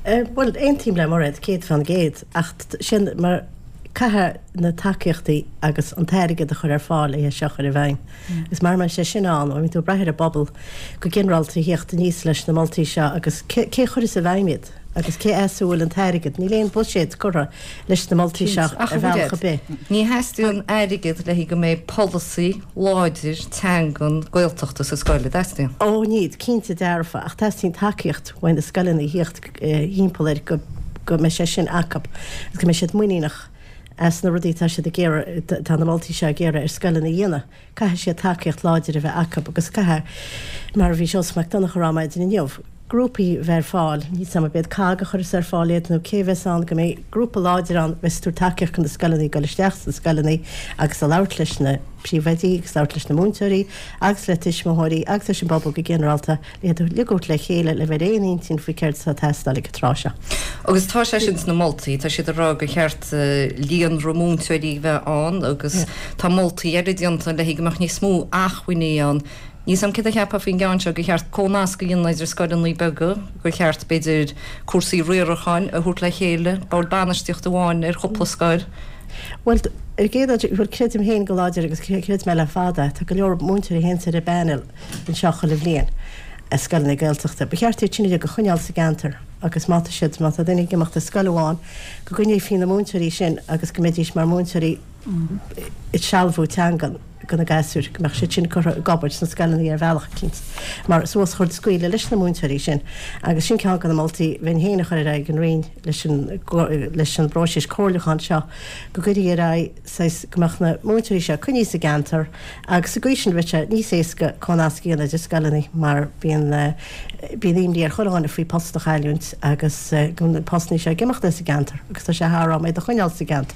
Bhuel, aontaím le Mairéad céad fán gcéad, ach sin mar caithfidh na tacaíochtaí agus an t-airgead a chur ar fáil le é seo a chur i bhfeidhm. Agus mara mbeidh sé sin ann, bíonn tú ag brath ar an bpobal go ginearálta a thíocht aníos leis na moltaí seo agus cé cé chuirfeas i bhfeidhm iad agus cé as a bhfuil an t-airgead? Níl aon bhuiséad curtha leis na moltaí seo Ach ar a bhealach Mhairéad, ar bith. ní theastaíonn airgead le go mbeidh polasaí láidir teangan Gaeltachta sa scoil, an dteastaíonn? Ó, ní, cinnte dearfa, ach teastaíonn tacaíocht uaidh na scoileanna a thíocht thimpeall air go go mbeidh sé sin acu agus go mbeidh siad muiníneach as na rudaí atá siad ag iarraidh, tá na moltaí seo ag iarraidh ar scoileanna a dhéanamh. Caithfidh siad tacaíocht láidir a bheith acu agus caithfidh, mar a bhí Seosamh Mac Donncha a rá maidin inniu, grúpaí a bheith ar fáil, níl 's a'm ab iad COGG a chuirfeas ar fáil iad nó cé a bheas ann, go mbeidh grúpa láidir ann a bheas ag tabhairt tacaíocht do na scoileanna, ag dul isteach sna scoileanna agus a labhairt leis na príomhoidí agus labhairt leis na múinteoirí agus le tuismitheoirí agus leis an bpobal go ginearálta le iad uilig a thabhairt le chéile le bheith ar aon intinn faoi céard atá ag teastáil ag an tráth seo. Agus tá sé sin sna moltaí, tá siad ag rá gur cheart líonra múinteoirí a bheith ann agus tá moltaí eile déanta le go mbeadh níos mó acmhainní ann. Níl 's a'm céard a cheapfá faoin gceann seo, gur cheart comhnasc a dhéanamh idir scoileanna beaga, gur cheart, b'fhéidir, cúrsaí riaracháin a thabhairt le chéile, bord bainistíochta amháin ar chúpla scoil. Bhuel, ar an gcéad dul, bhuel, creidim féin go láidir agus chreid mé le fada, tá go leor múinteoirí a théanns ar an bpainéal anseo chuile bhliain i scoileanna Gaeltachta. Ba cheart iad sin uilig a choinneáil sa gceantar agus má tá siad, má tá duine ag imeacht as scoil amháin, go gcoinneofaí na múinteoirí sin agus go mbeidís mar mhúinteoirí ag sealbhú teangan do na gasúir, go mbeadh siad sin curtha ag obair sna scoileanna ar bhealach eicínt, mar suas chur scaoileadh leis na múinteoirí sin. Agus sin ceann de na moltaí bheinn féin a chur ar aghaidh an Roinn leis an leis an bpróiseas comhairliúcháin seo, go gcuirfí ar aghaidh saghas go mbeadh na múinteoirí seo coinnithe sa gceantar agus sa gcaoi sin bheadh sé níos éasca comhnasc a dhéanamh idir scoileanna mar bíonn bíonn imní ar chuile dhuine faoi post a chailliúint agus go bhfuil na postanna seo ag imeacht as an gceantar agus tá sé thar am iad a choinneáil sa gceantar.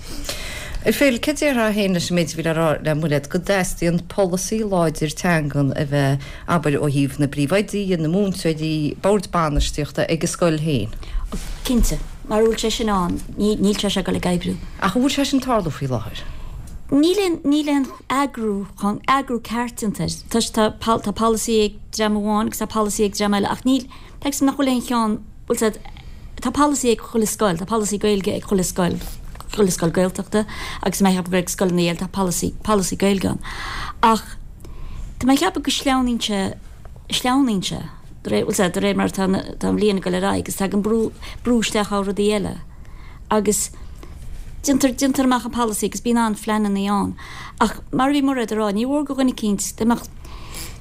Phil, cad déarfá féin leis an méid a bhí le rá le Mairéad, go dteastaíonn polasaí láidir teangan a bheith, abair, ó thaobh na bpríomhoidí, na múinteoirí, bord bainistíochta ag an scoil féin? Cinnte. Mara bhfuil sé sin ann, níl sé seo ag dul ag oibriú. Ach an bhfuil sé sin ag tarlú faoi láthair? Níl aon níl aon eagrú chun eagrú ceart déanta air. Tá tá tá polasaí ag dream amháin agus tá polasaí ag dream eile ach níl feicim nach bhfuil aon cheann bhfuil said tá polasaí ag chuile scoil, tá polasaí Gaeilge ag chuile scoil, chuile scoil Gaeltachta agus mé ag ag scoileanna eile tá polasaí polasaí Gaeilge ann. Ach tá mé ag ceapadh go sleamhnaíonn sé sleamhnaíonn sé de réir bhfuil said de réir mar tá tá an bhliain ag dul ar aghaidh agus tagann brú brú isteach ó rudaí eile. Agus déantar déantar amach an polasaí agus bíonn an-phleananna ann. Ach mar a bhí Mairéad ag rá, ní mhór go dhuine eicínt dá mbeadh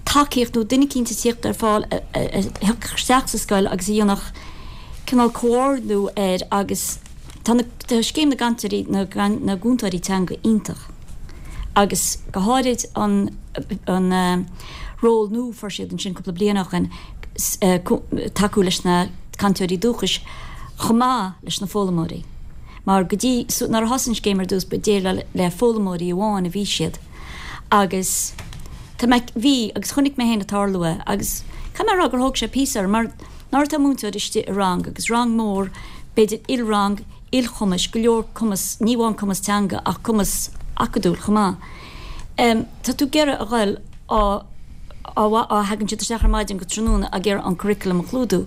tacaíocht nó duine eicínt ag tíocht ar fáil a thiocfadh isteach sa scoil agus a dhéanfadh cineál comhordú air agus tá na tá scéim na gcainteoirí na na gcúntóirí teanga iontach. Agus go háirid an an ról nua a fuair siad ansin cúpla bliain ó shin tacú leis na cainteoirí dúchais chomh maith leis na foghlaimeoirí. Mar go dtí nuair a thosaigh an scéim ar dtús ba déileáil le foghlaimeoirí amháin a bhí siad. Agus tá mé bhí agus chonaic mé féin ag tarlú é agus caithfidh mé a rá gur thóg sé píosa orm mar nuair atá múinteoir istigh i rang agus rang mór b'fhéidir ilrang, ilchumais, go leor cumas, ní amháin cumas teanga ach cumas acadúil chomh maith. Um, tá tú ag iarraidh a ghoil á á á thagann siad isteach ar maidin go tráthnóna ag iarraidh an curriculum a chlúdú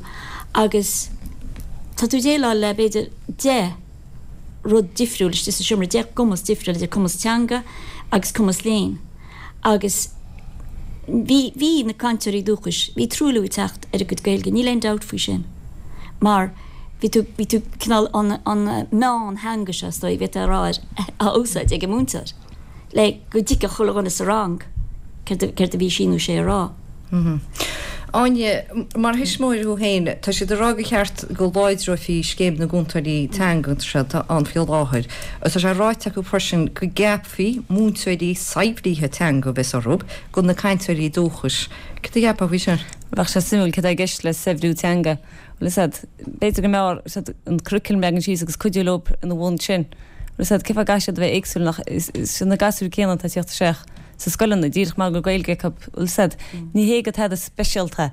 agus tá tú ag déileáil le b'fhéidir deich rud difriúil istigh sa seomra, deich gcumas difriúil idir cumas teanga agus cumas léinn. Agus bhí bhí na cainteoirí dúchais, bhí truailliú ag teacht ar a gcuid Gaeilge, níl aon dabht faoi sin. Mar bhí tú bhí tú cineál an an meántheanga seo is dóigh, bhí tú a rá á úsáid ag an múinteoir le go dtuigfeadh chuile dhuine sa rang céard céard a bhí sí nó sé a rá. Áine, mar thuismitheoir thú féin, tá siad ag rá gur cheart go láidreofaí scéim na gcúntóirí teanga seo atá ann faoi láthair. Agus tá sé ráite acu freisin go gceapfaí múinteoirí saibhrithe teanga a bheas orthu do na cainteoirí dúchais. Cad a cheapfá faoi sin? Bheadh sé suimiúil cad é i gceist le saibhriú teanga. Bhfuil a fhios agat, b'fhéidir go mbeadh an curriculum leagan síos agus cuidiú leo ina bhun sin. Bhfuil a fhios agat, cén fáth a gcaithfidh siad a bheith éagsúil nach is is na gasúir céanna atá ag teacht isteach sa scoileanna díreach mar go Gaeilge acu bhfuil a fhios agat, ní hé go tada speisialta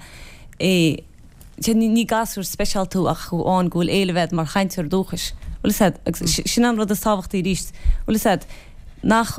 é ní ní gasúr speisialta tú ach amháin go bhfuil éileamh agat mar chainteoir dúchais. Bhfuil a fhios agat, agus sin an rud is tábhachtaí arís. Bhfuil a fhios agat, nach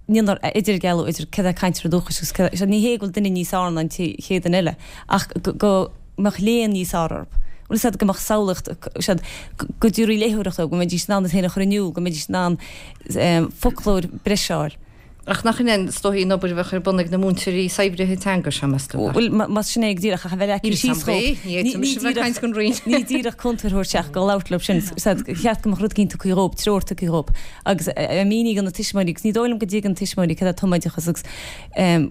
ndéantar idirdhealú idir cad é cainteoir dúchais agus cad é ní hé go bhfuil duine níos fearr ná an chéad duine eile ach go mbeadh léann níos fearr orthu. Bhfuil a fhios agat go mbeadh samhlaíocht siad go dtabharfaí léitheoireacht dóibh, go mbeidís in ann iad féin a chur in iúl, go mbeidís in ann foclóir breise a fháil. Ach nach in é is dóichí an obair a bheadh ar bun ag na múinteoirí saibhrithe teanga seo, meas tú? Bhuel, más sin é go díreach ach a bheith leagtha síos chomh. Ní fhéadfaimis a bheith ag caint don Roinn. Ní díreach cúntóir a thabhairt isteach go labhairt leo sin. Cheart go mbeadh rud éicint tugtha dhóibh, treoir tugtha dhóibh agus a míniú do na tuismitheoirí agus ní dóigh liom go dtuigeann tuismitheoirí cad é tumoideachas agus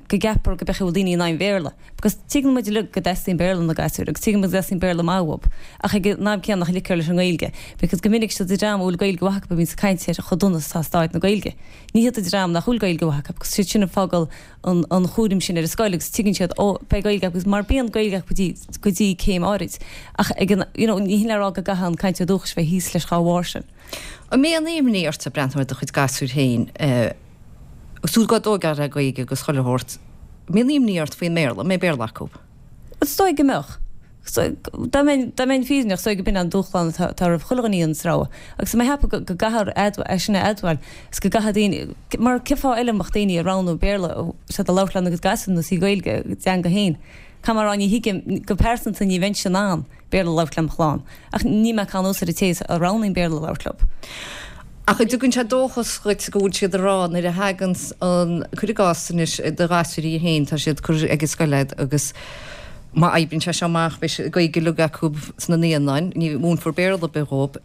go gceapfar go beidh daoine in ann Béarla. Because tuigeann muid uilig go dteastaíonn Béarla ó na gasúir agus tuigeann muid go dteastaíonn Béarla maith uathu ach ag an am céanna nach ligtear leis an nGaeilge. Because go minic siad an dream a bhfuil Gaeilge mhaith acu a bhíonn ag caint ar chomh dona is atá staid na Gaeilge. Ní hiad an dream nach bhfuil Gaeilge mhaith acu agus siad sin ag fágáil an an chúram sin ar an scoil agus tuigeann siad ó beidh Gaeilge agus mar bíonn Gaeilge acu go dtí go dtí céim áirid. Ach ag an you know ní hin le rá go gcaithfidh an cainteoir dúchais bheith thíos leis dá bharr sin. An mbíonn imní ort ag breathnú ar do chuid gasúir féin agus tú á dtógáil le Gaeilge agus chuile shórt, an mbíonn imní ort faoin mBéarla, an mbeidh Béarla acu? Is dóigh go mbeadh. Dá mbeinn dá mbeinn fírinneach, is dóigh go b'in an dúshlán atá atá roimh chuile dhuine an sreabhadh. Agus mé ag ceapadh go gcaithfear é sin a admháil is go gcaithfidh daoine, mar cén fáth eile a mbeadh daoine ag roghnú Béarla siad a labhairt lena gcuid gasúr nó sí Gaeilge a dteanga féin. Caithfidh mé a rá ní thuigim, go pearsanta ní bheinnse in ann Béarla a labhairt lem chlann. Ach níl mé ag cur anuas ar an té a roghnaíonn Béarla a labhairt leo. Ach an dtugann sé dóchas dhuit go bhfuil siad ag rá nuair a thagann an, cuir i gcás anois, do ghasúirí féin, tá siad curtha ag an scoil agat agus má oibríonn sé seo amach beidh siad Gaeilge uilig acu sna naíonáin, ní mhúinfear Béarla ar bith dhóibh.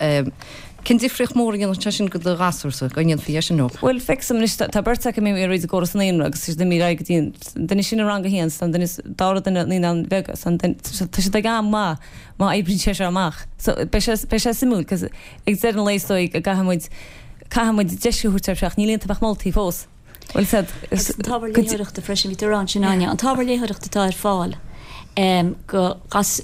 Cén difríocht mhór a dhéanfadh sé sin do do ghasúrsa, go ndéanfaí é sin leo? Bhuel, feicim anois, tá beirt acu imithe ar an gcóras naíonra agus tá siad imithe ar aghaidh go dtí an duine sin i rang a haon, tá an duine, dara duine naíonáin bheaga, tá siad ag am maith má oibríonn sé seo amach. So beidh sé, beidh sé suimiúil cos ag deireadh an lae is dóigh go gcaithfidh muid, caithfidh muid deis a thabhairt air ach níl iontu ach moltaí fós. Bhuel said, Agus an t-ábhar léitheoireachta freisin, bhí tú ag rá ansin Áine, an t-ábhar léitheoireachta atá ar fáil go,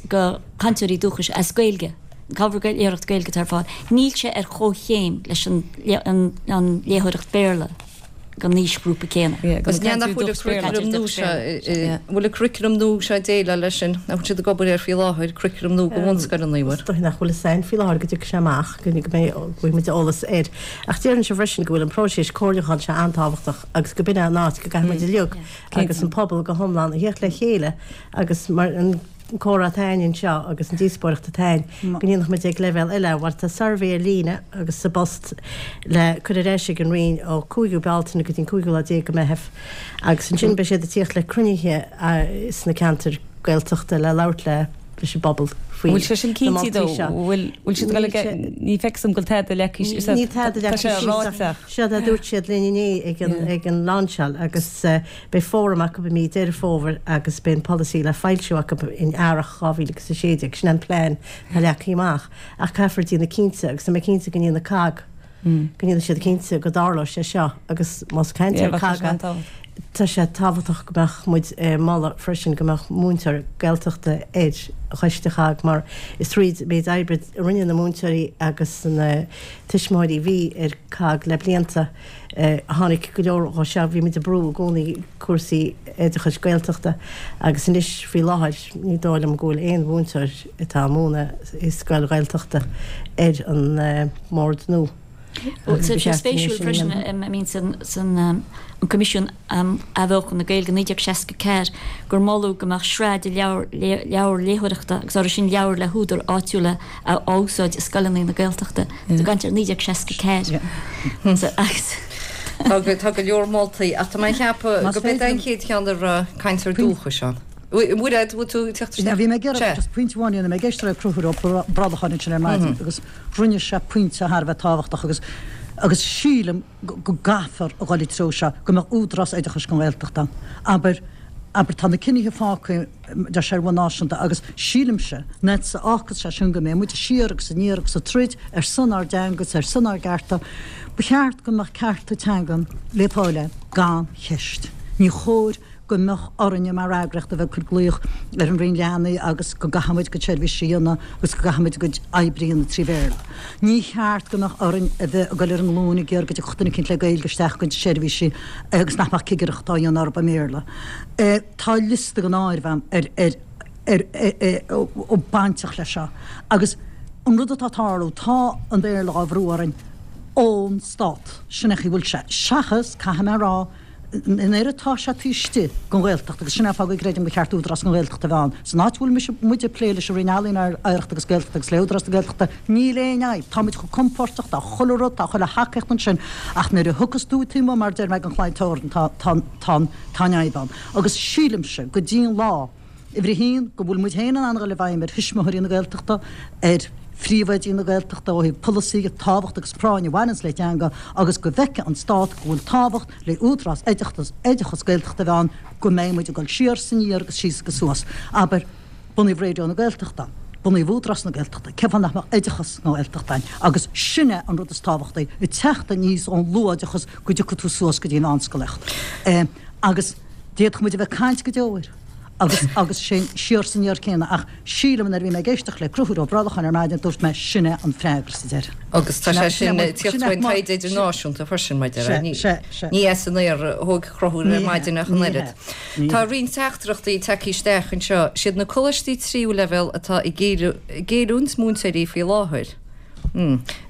go cainteoirí dúchais as Gaeilge, an t-ábhar léitheoireachta Gaeilge atá ar fáil, níl sé ar chomhchéim leis an, an, an léitheoireacht Béarla. don aoisghrúpa céanna. Agus ní nach bhfuil an curriculum nua seo, bhfuil an curriculum nua seo ag déileáil leis sin, nach bhfuil siad ag obair air faoi láthair, curriculum nua do bhunscoileanna, an bhfuil? Is dóigh nach bhfuil fhios againn faoi láthair go dtiocfaidh sé amach, go mbeidh, go bhfaighidh muid eolas air. Ach déarfainnse freisin go bhfuil an próiseas comhairliúcháin seo an-tábhachtach agus go b'in é an áit go gcaithfidh muid uilig agus an pobal go hiomlán a theacht le chéile agus mar an an comhrá atá againn anseo agus an díospóireacht atá againn, go ndéanfadh muid ag leibhéal eile, mar tá suirbhé ar líne agus sa bpost le cur ar ais ag an Roinn ó cúigiú Bealtaine go dtí an cúigiú lá déag de Mheitheamh agus ansin beidh siad ag tíocht le cruinnithe sna ceantair Gaeltachta le labhairt le leis an bpobal faoi Bhfuil sé sin na cinnte moltaí though? seo. Bhfuil bhfuil siad ag dul ag ní feictear dom go bhfuil tada leagtha síos Níl tada tá leagtha sé síos ráite ach séard a dúirt siad linn inné ag an ag an lainseáil agus beidh fóram acu i mí Deireadh Fómhair agus beidh an polasaí le foilsiú acu in earrach dhá mhíle agus a sé déag. Sin an plean atá leagtha amach ach caithfear déanamh cinnte agus tá mé cinnte go ndéanfaidh COGG go ndéanfaidh siad cinnte go dtarlóidh sé seo agus más caint Yeah, ar bheadh sé COGG an-tábhachtach. Tá sé tábhachtach go mbeadh muid ag moladh freisin go mbeadh múinteoir Gaeltachta ar choiste CHOGG mar is tríd an méid oibre a rinne na múinteoirí agus na tuismitheoirí a bhí ar COGG le blianta a tháinig go leor dhó seo. Bhí muid ag brú i gcónaí cúrsaí oideachais Gaeltachta agus anois faoi láthair ní dóigh liom go bhfuil aon mhúinteoir atá ag múineadh i scoil Ghaeltachta ar an mbord nua. Tá sé spéisiúil freisin I mean san san an Coimisiún um Athbheochan na Gaeilge naoi déag seasca ceathair gur moladh go mbeadh sraith de leabhair leabhair léitheoireachta agus orthu sin leabhair le húdair áitiúla á úsáid i scoileanna na Gaeltachta. Tá caint ar naoi déag seasca ceathair. Agus Tá go tá go leor moltaí ach tá mé ag ceapadh Más go b'é féidir an chéad cheann a raibh cainteoir dúchais ann. Mairéad, bhfuil tú ag teacht Now, isteach? bhí mé ag iarraidh Sea. just pointe amháin a dhéanamh, mé ag éisteacht le Conchúr Ó Brolcháin ansin ar maidin agus rinne sé pointe thar a bheith tábhachtach agus agus sílim go go gcaithfear a dhul i dtreo seo, go mbeadh údarás oideachais don Ghaeltacht ann. Abair, abair tá na cinnithe fágtha deir sé ar bhonn náisiúnta agus sílimse nach bhfágfas sé sin go mbeidh muid siar agus aniar agus ag troid ar son ár dteanga agus ar son ár gcearta. Ba cheart go mbeadh cearta teangan le fáil gan cheist. Ní chóir go mbeadh orainne mar eagraíocht a bheith ag cur glaoch ar an Roinn Leanaí agus go gcaithfimid ár gcuid seirbhísí a dhéanamh agus go gcaithfimid ár gcuid oibre a dhéanamh trí Bhéarla. Ní cheart go mbeadh orainn a bheith ag dul ar ár nglúine ag iarraidh go dtiocfadh duine eicínt le Gaeilge isteach go seirbhísí agus nach mbeadh cigireacht á dhéanamh orthu i mBéarla. Tá liosta gan áireamh agam ar ar ar ar bainteach leis seo agus an rud atá ag tarlú, tá an Béarla á bhrú orainn ón Stát, sin é an chaoi a bhfuil sé. Seachas, caithfidh mé a rá, an oiread atá sé taobh istigh den Ghaeltacht agus sin é an fáth go gcreidim gur cheart Údarás na Gaeltachta a bheith ann. San áit a bhfuil mise, muid ag plé leis an Roinn Ealaíon, Oidhreachta agus Gaeltachta agus le Údarás na Gaeltachta, níl aon fhadhb, táimid chomh compordach, tá chuile rud, tá chuile thacaíocht ansin ach nuair a thiocfas tú taobh amuigh mar a deir mé den chlaí teorann tá, tá, tá, tá an fhadhb ann. Agus sílimse go dtí an lá, Uimhir a haon, go bhfuil muid féin in ann a dhul i bhfeidhm ar thuismitheoirí na Gaeltachta, ar phríomhoidí na Gaeltachta ó thaobh polasaí, tábhacht agus práinn a bhaineanns le teanga agus go bhfeicfidh an Stát go bhfuil tábhacht le údarás oideachtas, oideachas Gaeltachta a bheith ann, go mbeidh muid ag dul siar is aniar agus síos agus suas. Abair, bunaíodh Raidió na Gaeltachta, bunaíodh Údarás na Gaeltachta, cén fáth nach mbeadh oideachas na Gaeltachta ann? Agus sin é an rud is tábhachtaí, ag teacht aníos ón luathoideachas go dtiocfaidh tú suas go dtí an mheánscolaíocht. Agus d'fhéadfadh muid a bheith ag caint go deo air. Agus, agus sin siar is aniar céanna, ach sílim nuair a bhí mé ag éisteacht le Conchúr Ó Brolcháin ar maidin, dúirt mé, sin é an freagra sa deireadh. Agus tá Sin é, sé sin sin é ag tíocht sin é faoin mar, taighde sin, idirnáisiúnta freisin, maidir sea, le, ní, sea, sea. ní as an aer a thóg Conchúr Ní ar hea, maidin ach an ní oiread. hea, ní Tá hea. roinnt teachtaireachtaí tagtha isteach anseo. Siad na coláistí tríú leibhéal atá ag géilliúint múinteoirí faoi láthair.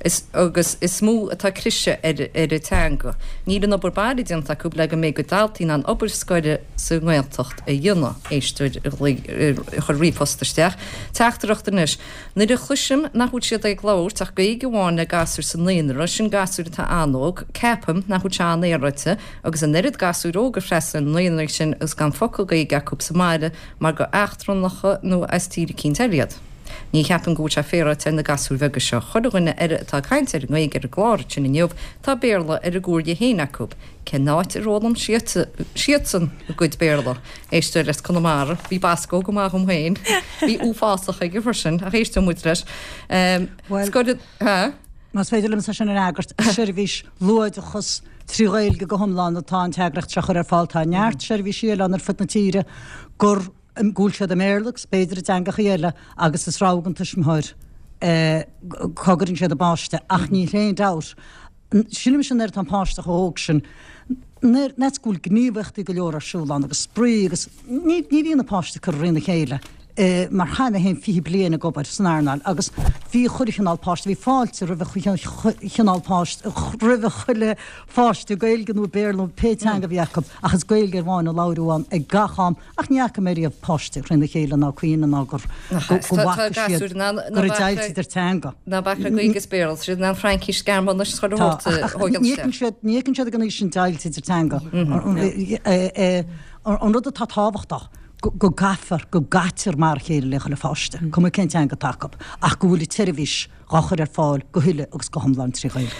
Is agus is mó atá cliseadh ar ar an teanga. Níl an obair baile déanta acu le go mbeidh a gcuid daltaí in ann obair scoile sa nGaeltacht a dhéanamh. Éisteoir a chuir ríomhphost isteach. Teachtaireacht anois. Nuair a chloisim nach bhfuil siad ag labhairt ach Gaeilge amháin le gasúir sa naíonra, sin gasúir atá an-óg, ceapaim nach bhfuil sé an-fhéaráilte agus an oiread gasúir óg ag freastal ar na naíonraí sin agus gan focal Gaeilge acu sa mbaile mar gur eachtrannacha nó as tír eicínt eile iad. Ní cheapaim go bhfuil sé féaráilte ar na gasúir bheaga seo. Chuile dhuine eile atá ag caint ar an nGaeilge ar an gclár sin inniu, tá Béarla ar a gcuar dhe féin acu. Cén áit ar fhoghlaim siadsan a gcuid Béarla? Éisteoir as Conamara, bhí Basco go maith dhom féin. Bhí uafásach aige freisin, ach éisteoidh muid leis. Bhuel, Scoil, ha? Más féidir liomsa sin a fhreagairt, seirbhís luathoideachas trí Ghaeilge go hiomlán atá an t-eagraíocht seo a chur ar fáil. Tá neart seirbhísí eile ann ar fud na tíre gur go bhfuil siad i mBéarla agus b'fhéidir i dteangachaí eile agus is rogha ag an tuismitheoir cá gcuireann siad a bpáiste ach níl aon dabht, sílimse nuair atá an páiste chomh hóg sin, Nuair nach go bhfuil gníomhaíochtaí go leor ar siúl ann agus spraoi agus ní ní bhíonn na páistí curtha thrína chéile mar chaith mé féin fiche bliain ag obair san earnáil agus bhí chuile chineál páiste, bhí fáilte roimh chineál páiste, roimh chuile pháiste Gaeilge nó Béarla nó pé teanga a bhí acu ach is Gaeilge amháin a labhradh ann ag gach am ach ní fhaca mé riamh páiste thrína chéile ná caoineadh ná gur go bhfaca siad go raibh deighilt idir teanga. Ná bac le Gaeilge is Béarla, tá siad in ann Fraincis, Gearmáinis is chuile shórt a thógáil Ní fheiceann siad ní fheiceann siad ag an aois sin deighilt idir teanga. An rud atá tábhachtach go gcaithfear, go gcaitear mar a chéile le chuile pháiste, cuma cén teanga atá acu, ach go bhfuil an tseirbhís dhá chur ar fáil go huile agus go hiomlán trí Ghaeilge.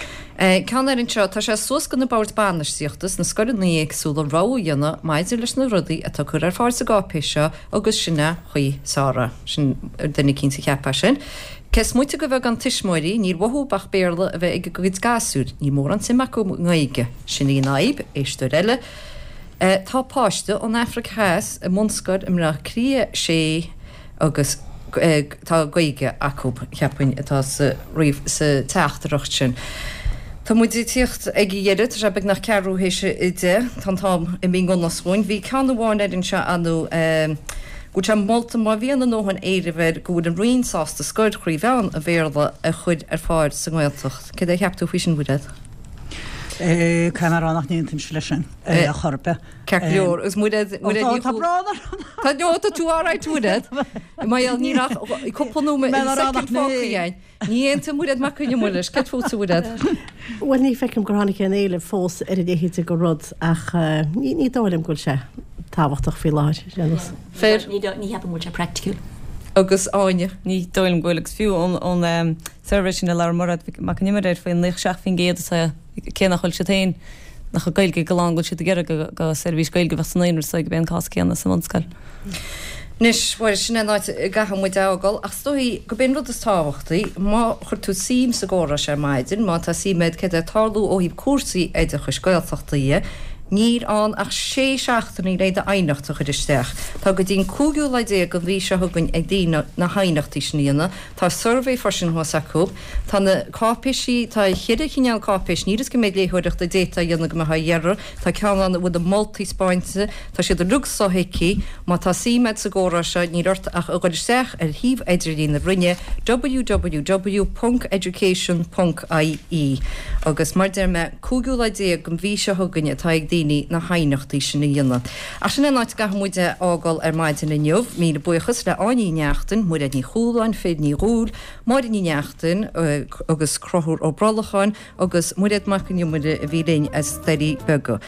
Ceann eile anseo, tá sé suas go na boird bainistíochta sna scoileanna éagsúla rogha a dhéanamh maidir leis na rudaí atá curtha ar fáil sa gcáipéis seo agus sin é chaoi Sara. Sin duine eicínt a cheap é sin. Cé is moite de bheagán tuismitheoirí, níl uathu ach Béarla a bheith ag a gcuid gasúir, níl mórán suim acu i nGaeilge. Sin í an fhadhb, éisteoir eile. Tá páiste ón Afraic Theas i mbunscoil i mBleá Cliath sé agus tá Gaeilge acu, cheapfainn, atá sa sa teachtaireacht sin. Tá muid ag tíocht ag a dheireadh, tá sé beagnach ceathrú théis a deich, tá an t-am imithe i ngan fhios dhúinn. Bhí ceann amháin air anseo anú go bhfuil sé molta má bhíonn a ndóthain éilimh air go bhfuil an Roinn sásta scoil thrí mheán an Bhéarla a chur ar fáil sa nGaeltacht. Céard é a cheap tú faoi sin, Mhairéad? Caithfidh mé a rá nach n-aontaímse leis sin ar chor ar bith. Ceart go leor, agus Mairéad, Mairéad Ní Tá brón orm. Tá, no, tá tú alright Mairéad. Mar gheall níl ach cúpla nóiméad, soicind fágtha againn. Ní aontaíonn Mairéad Mac Con Iomaire leis. Céard fútsa, Mhairéad? Bhuel, ní feicim gur tháinig aon éileamh fós ar a leithéid de rud ach ní dóigh liom go bhfuil sé tábhachtach faoi láthair, ar aon nós. Fair. Ní cheapaim go bhfuil sé praiticiúil. Agus Áine? Ní dóigh liom go bhfuil, agus fiú ón suirbhé sin a labhair Mairéad Mac Con Iomaire air faoin naocha seacht faoin gcéad atá cé nach bhfuil siad féin nach bhfuil Gaeilge go lán go bhfuil siad ag iarraidh go seirbhís Gaeilge a bheith sa naíonra so gurb é an cás céanna sa bhunscoil. Anois, bhuel, sin é an áit a gcaithfidh muid a fhágáil, ach is dóigh gurb é an rud is tábhachtaí, má chuir tú suim sa gcomhrá seo ar maidin, má tá suim agat céard atá ag tarlú ó thaobh cúrsaí oideachais Gaeltachta dhe, níl ann ach sé seachtainí le d'aighneacht a chur isteach. Tá go dtí an cúigiú lá déag den mhí seo chugainn ag daoine na haighneachtaí sin a dhéanamh. Tá suirbhé freisin thuas acu. Tá na cáipéisí, tá cheithre chineál cáipéis, níl fhios cé méid léitheoireachta a d'fhéadfá a dhéanamh go mbeifeá á dheireadh. Tá ceann ann a bhfuil na moltaí spáinte, tá siad uilig sothuigthe. Má tá suim agat sa gcomhrá seo, níl ort ach a dhul isteach ar shuíomh idirlín na Roinne, www ponc education ponc ie. Agus mar deir mé, cúigiú lá déag den mhí seo chugainn atá ag daoine na haighneachtaí sin a dhéanamh. Ach sin é an áit a gcaithfidh muid a fhágáil ar maidin inniu. Míle buíochas le Áine Ní Neachtain, Muiréad Ní Chualáin, Fair Ní Dhúill, Máire Ní Neachtain agus Conchúr Ó Brollacháin agus Muiréad Mac Con Iomaire a bhí linn as Doirí Beaga.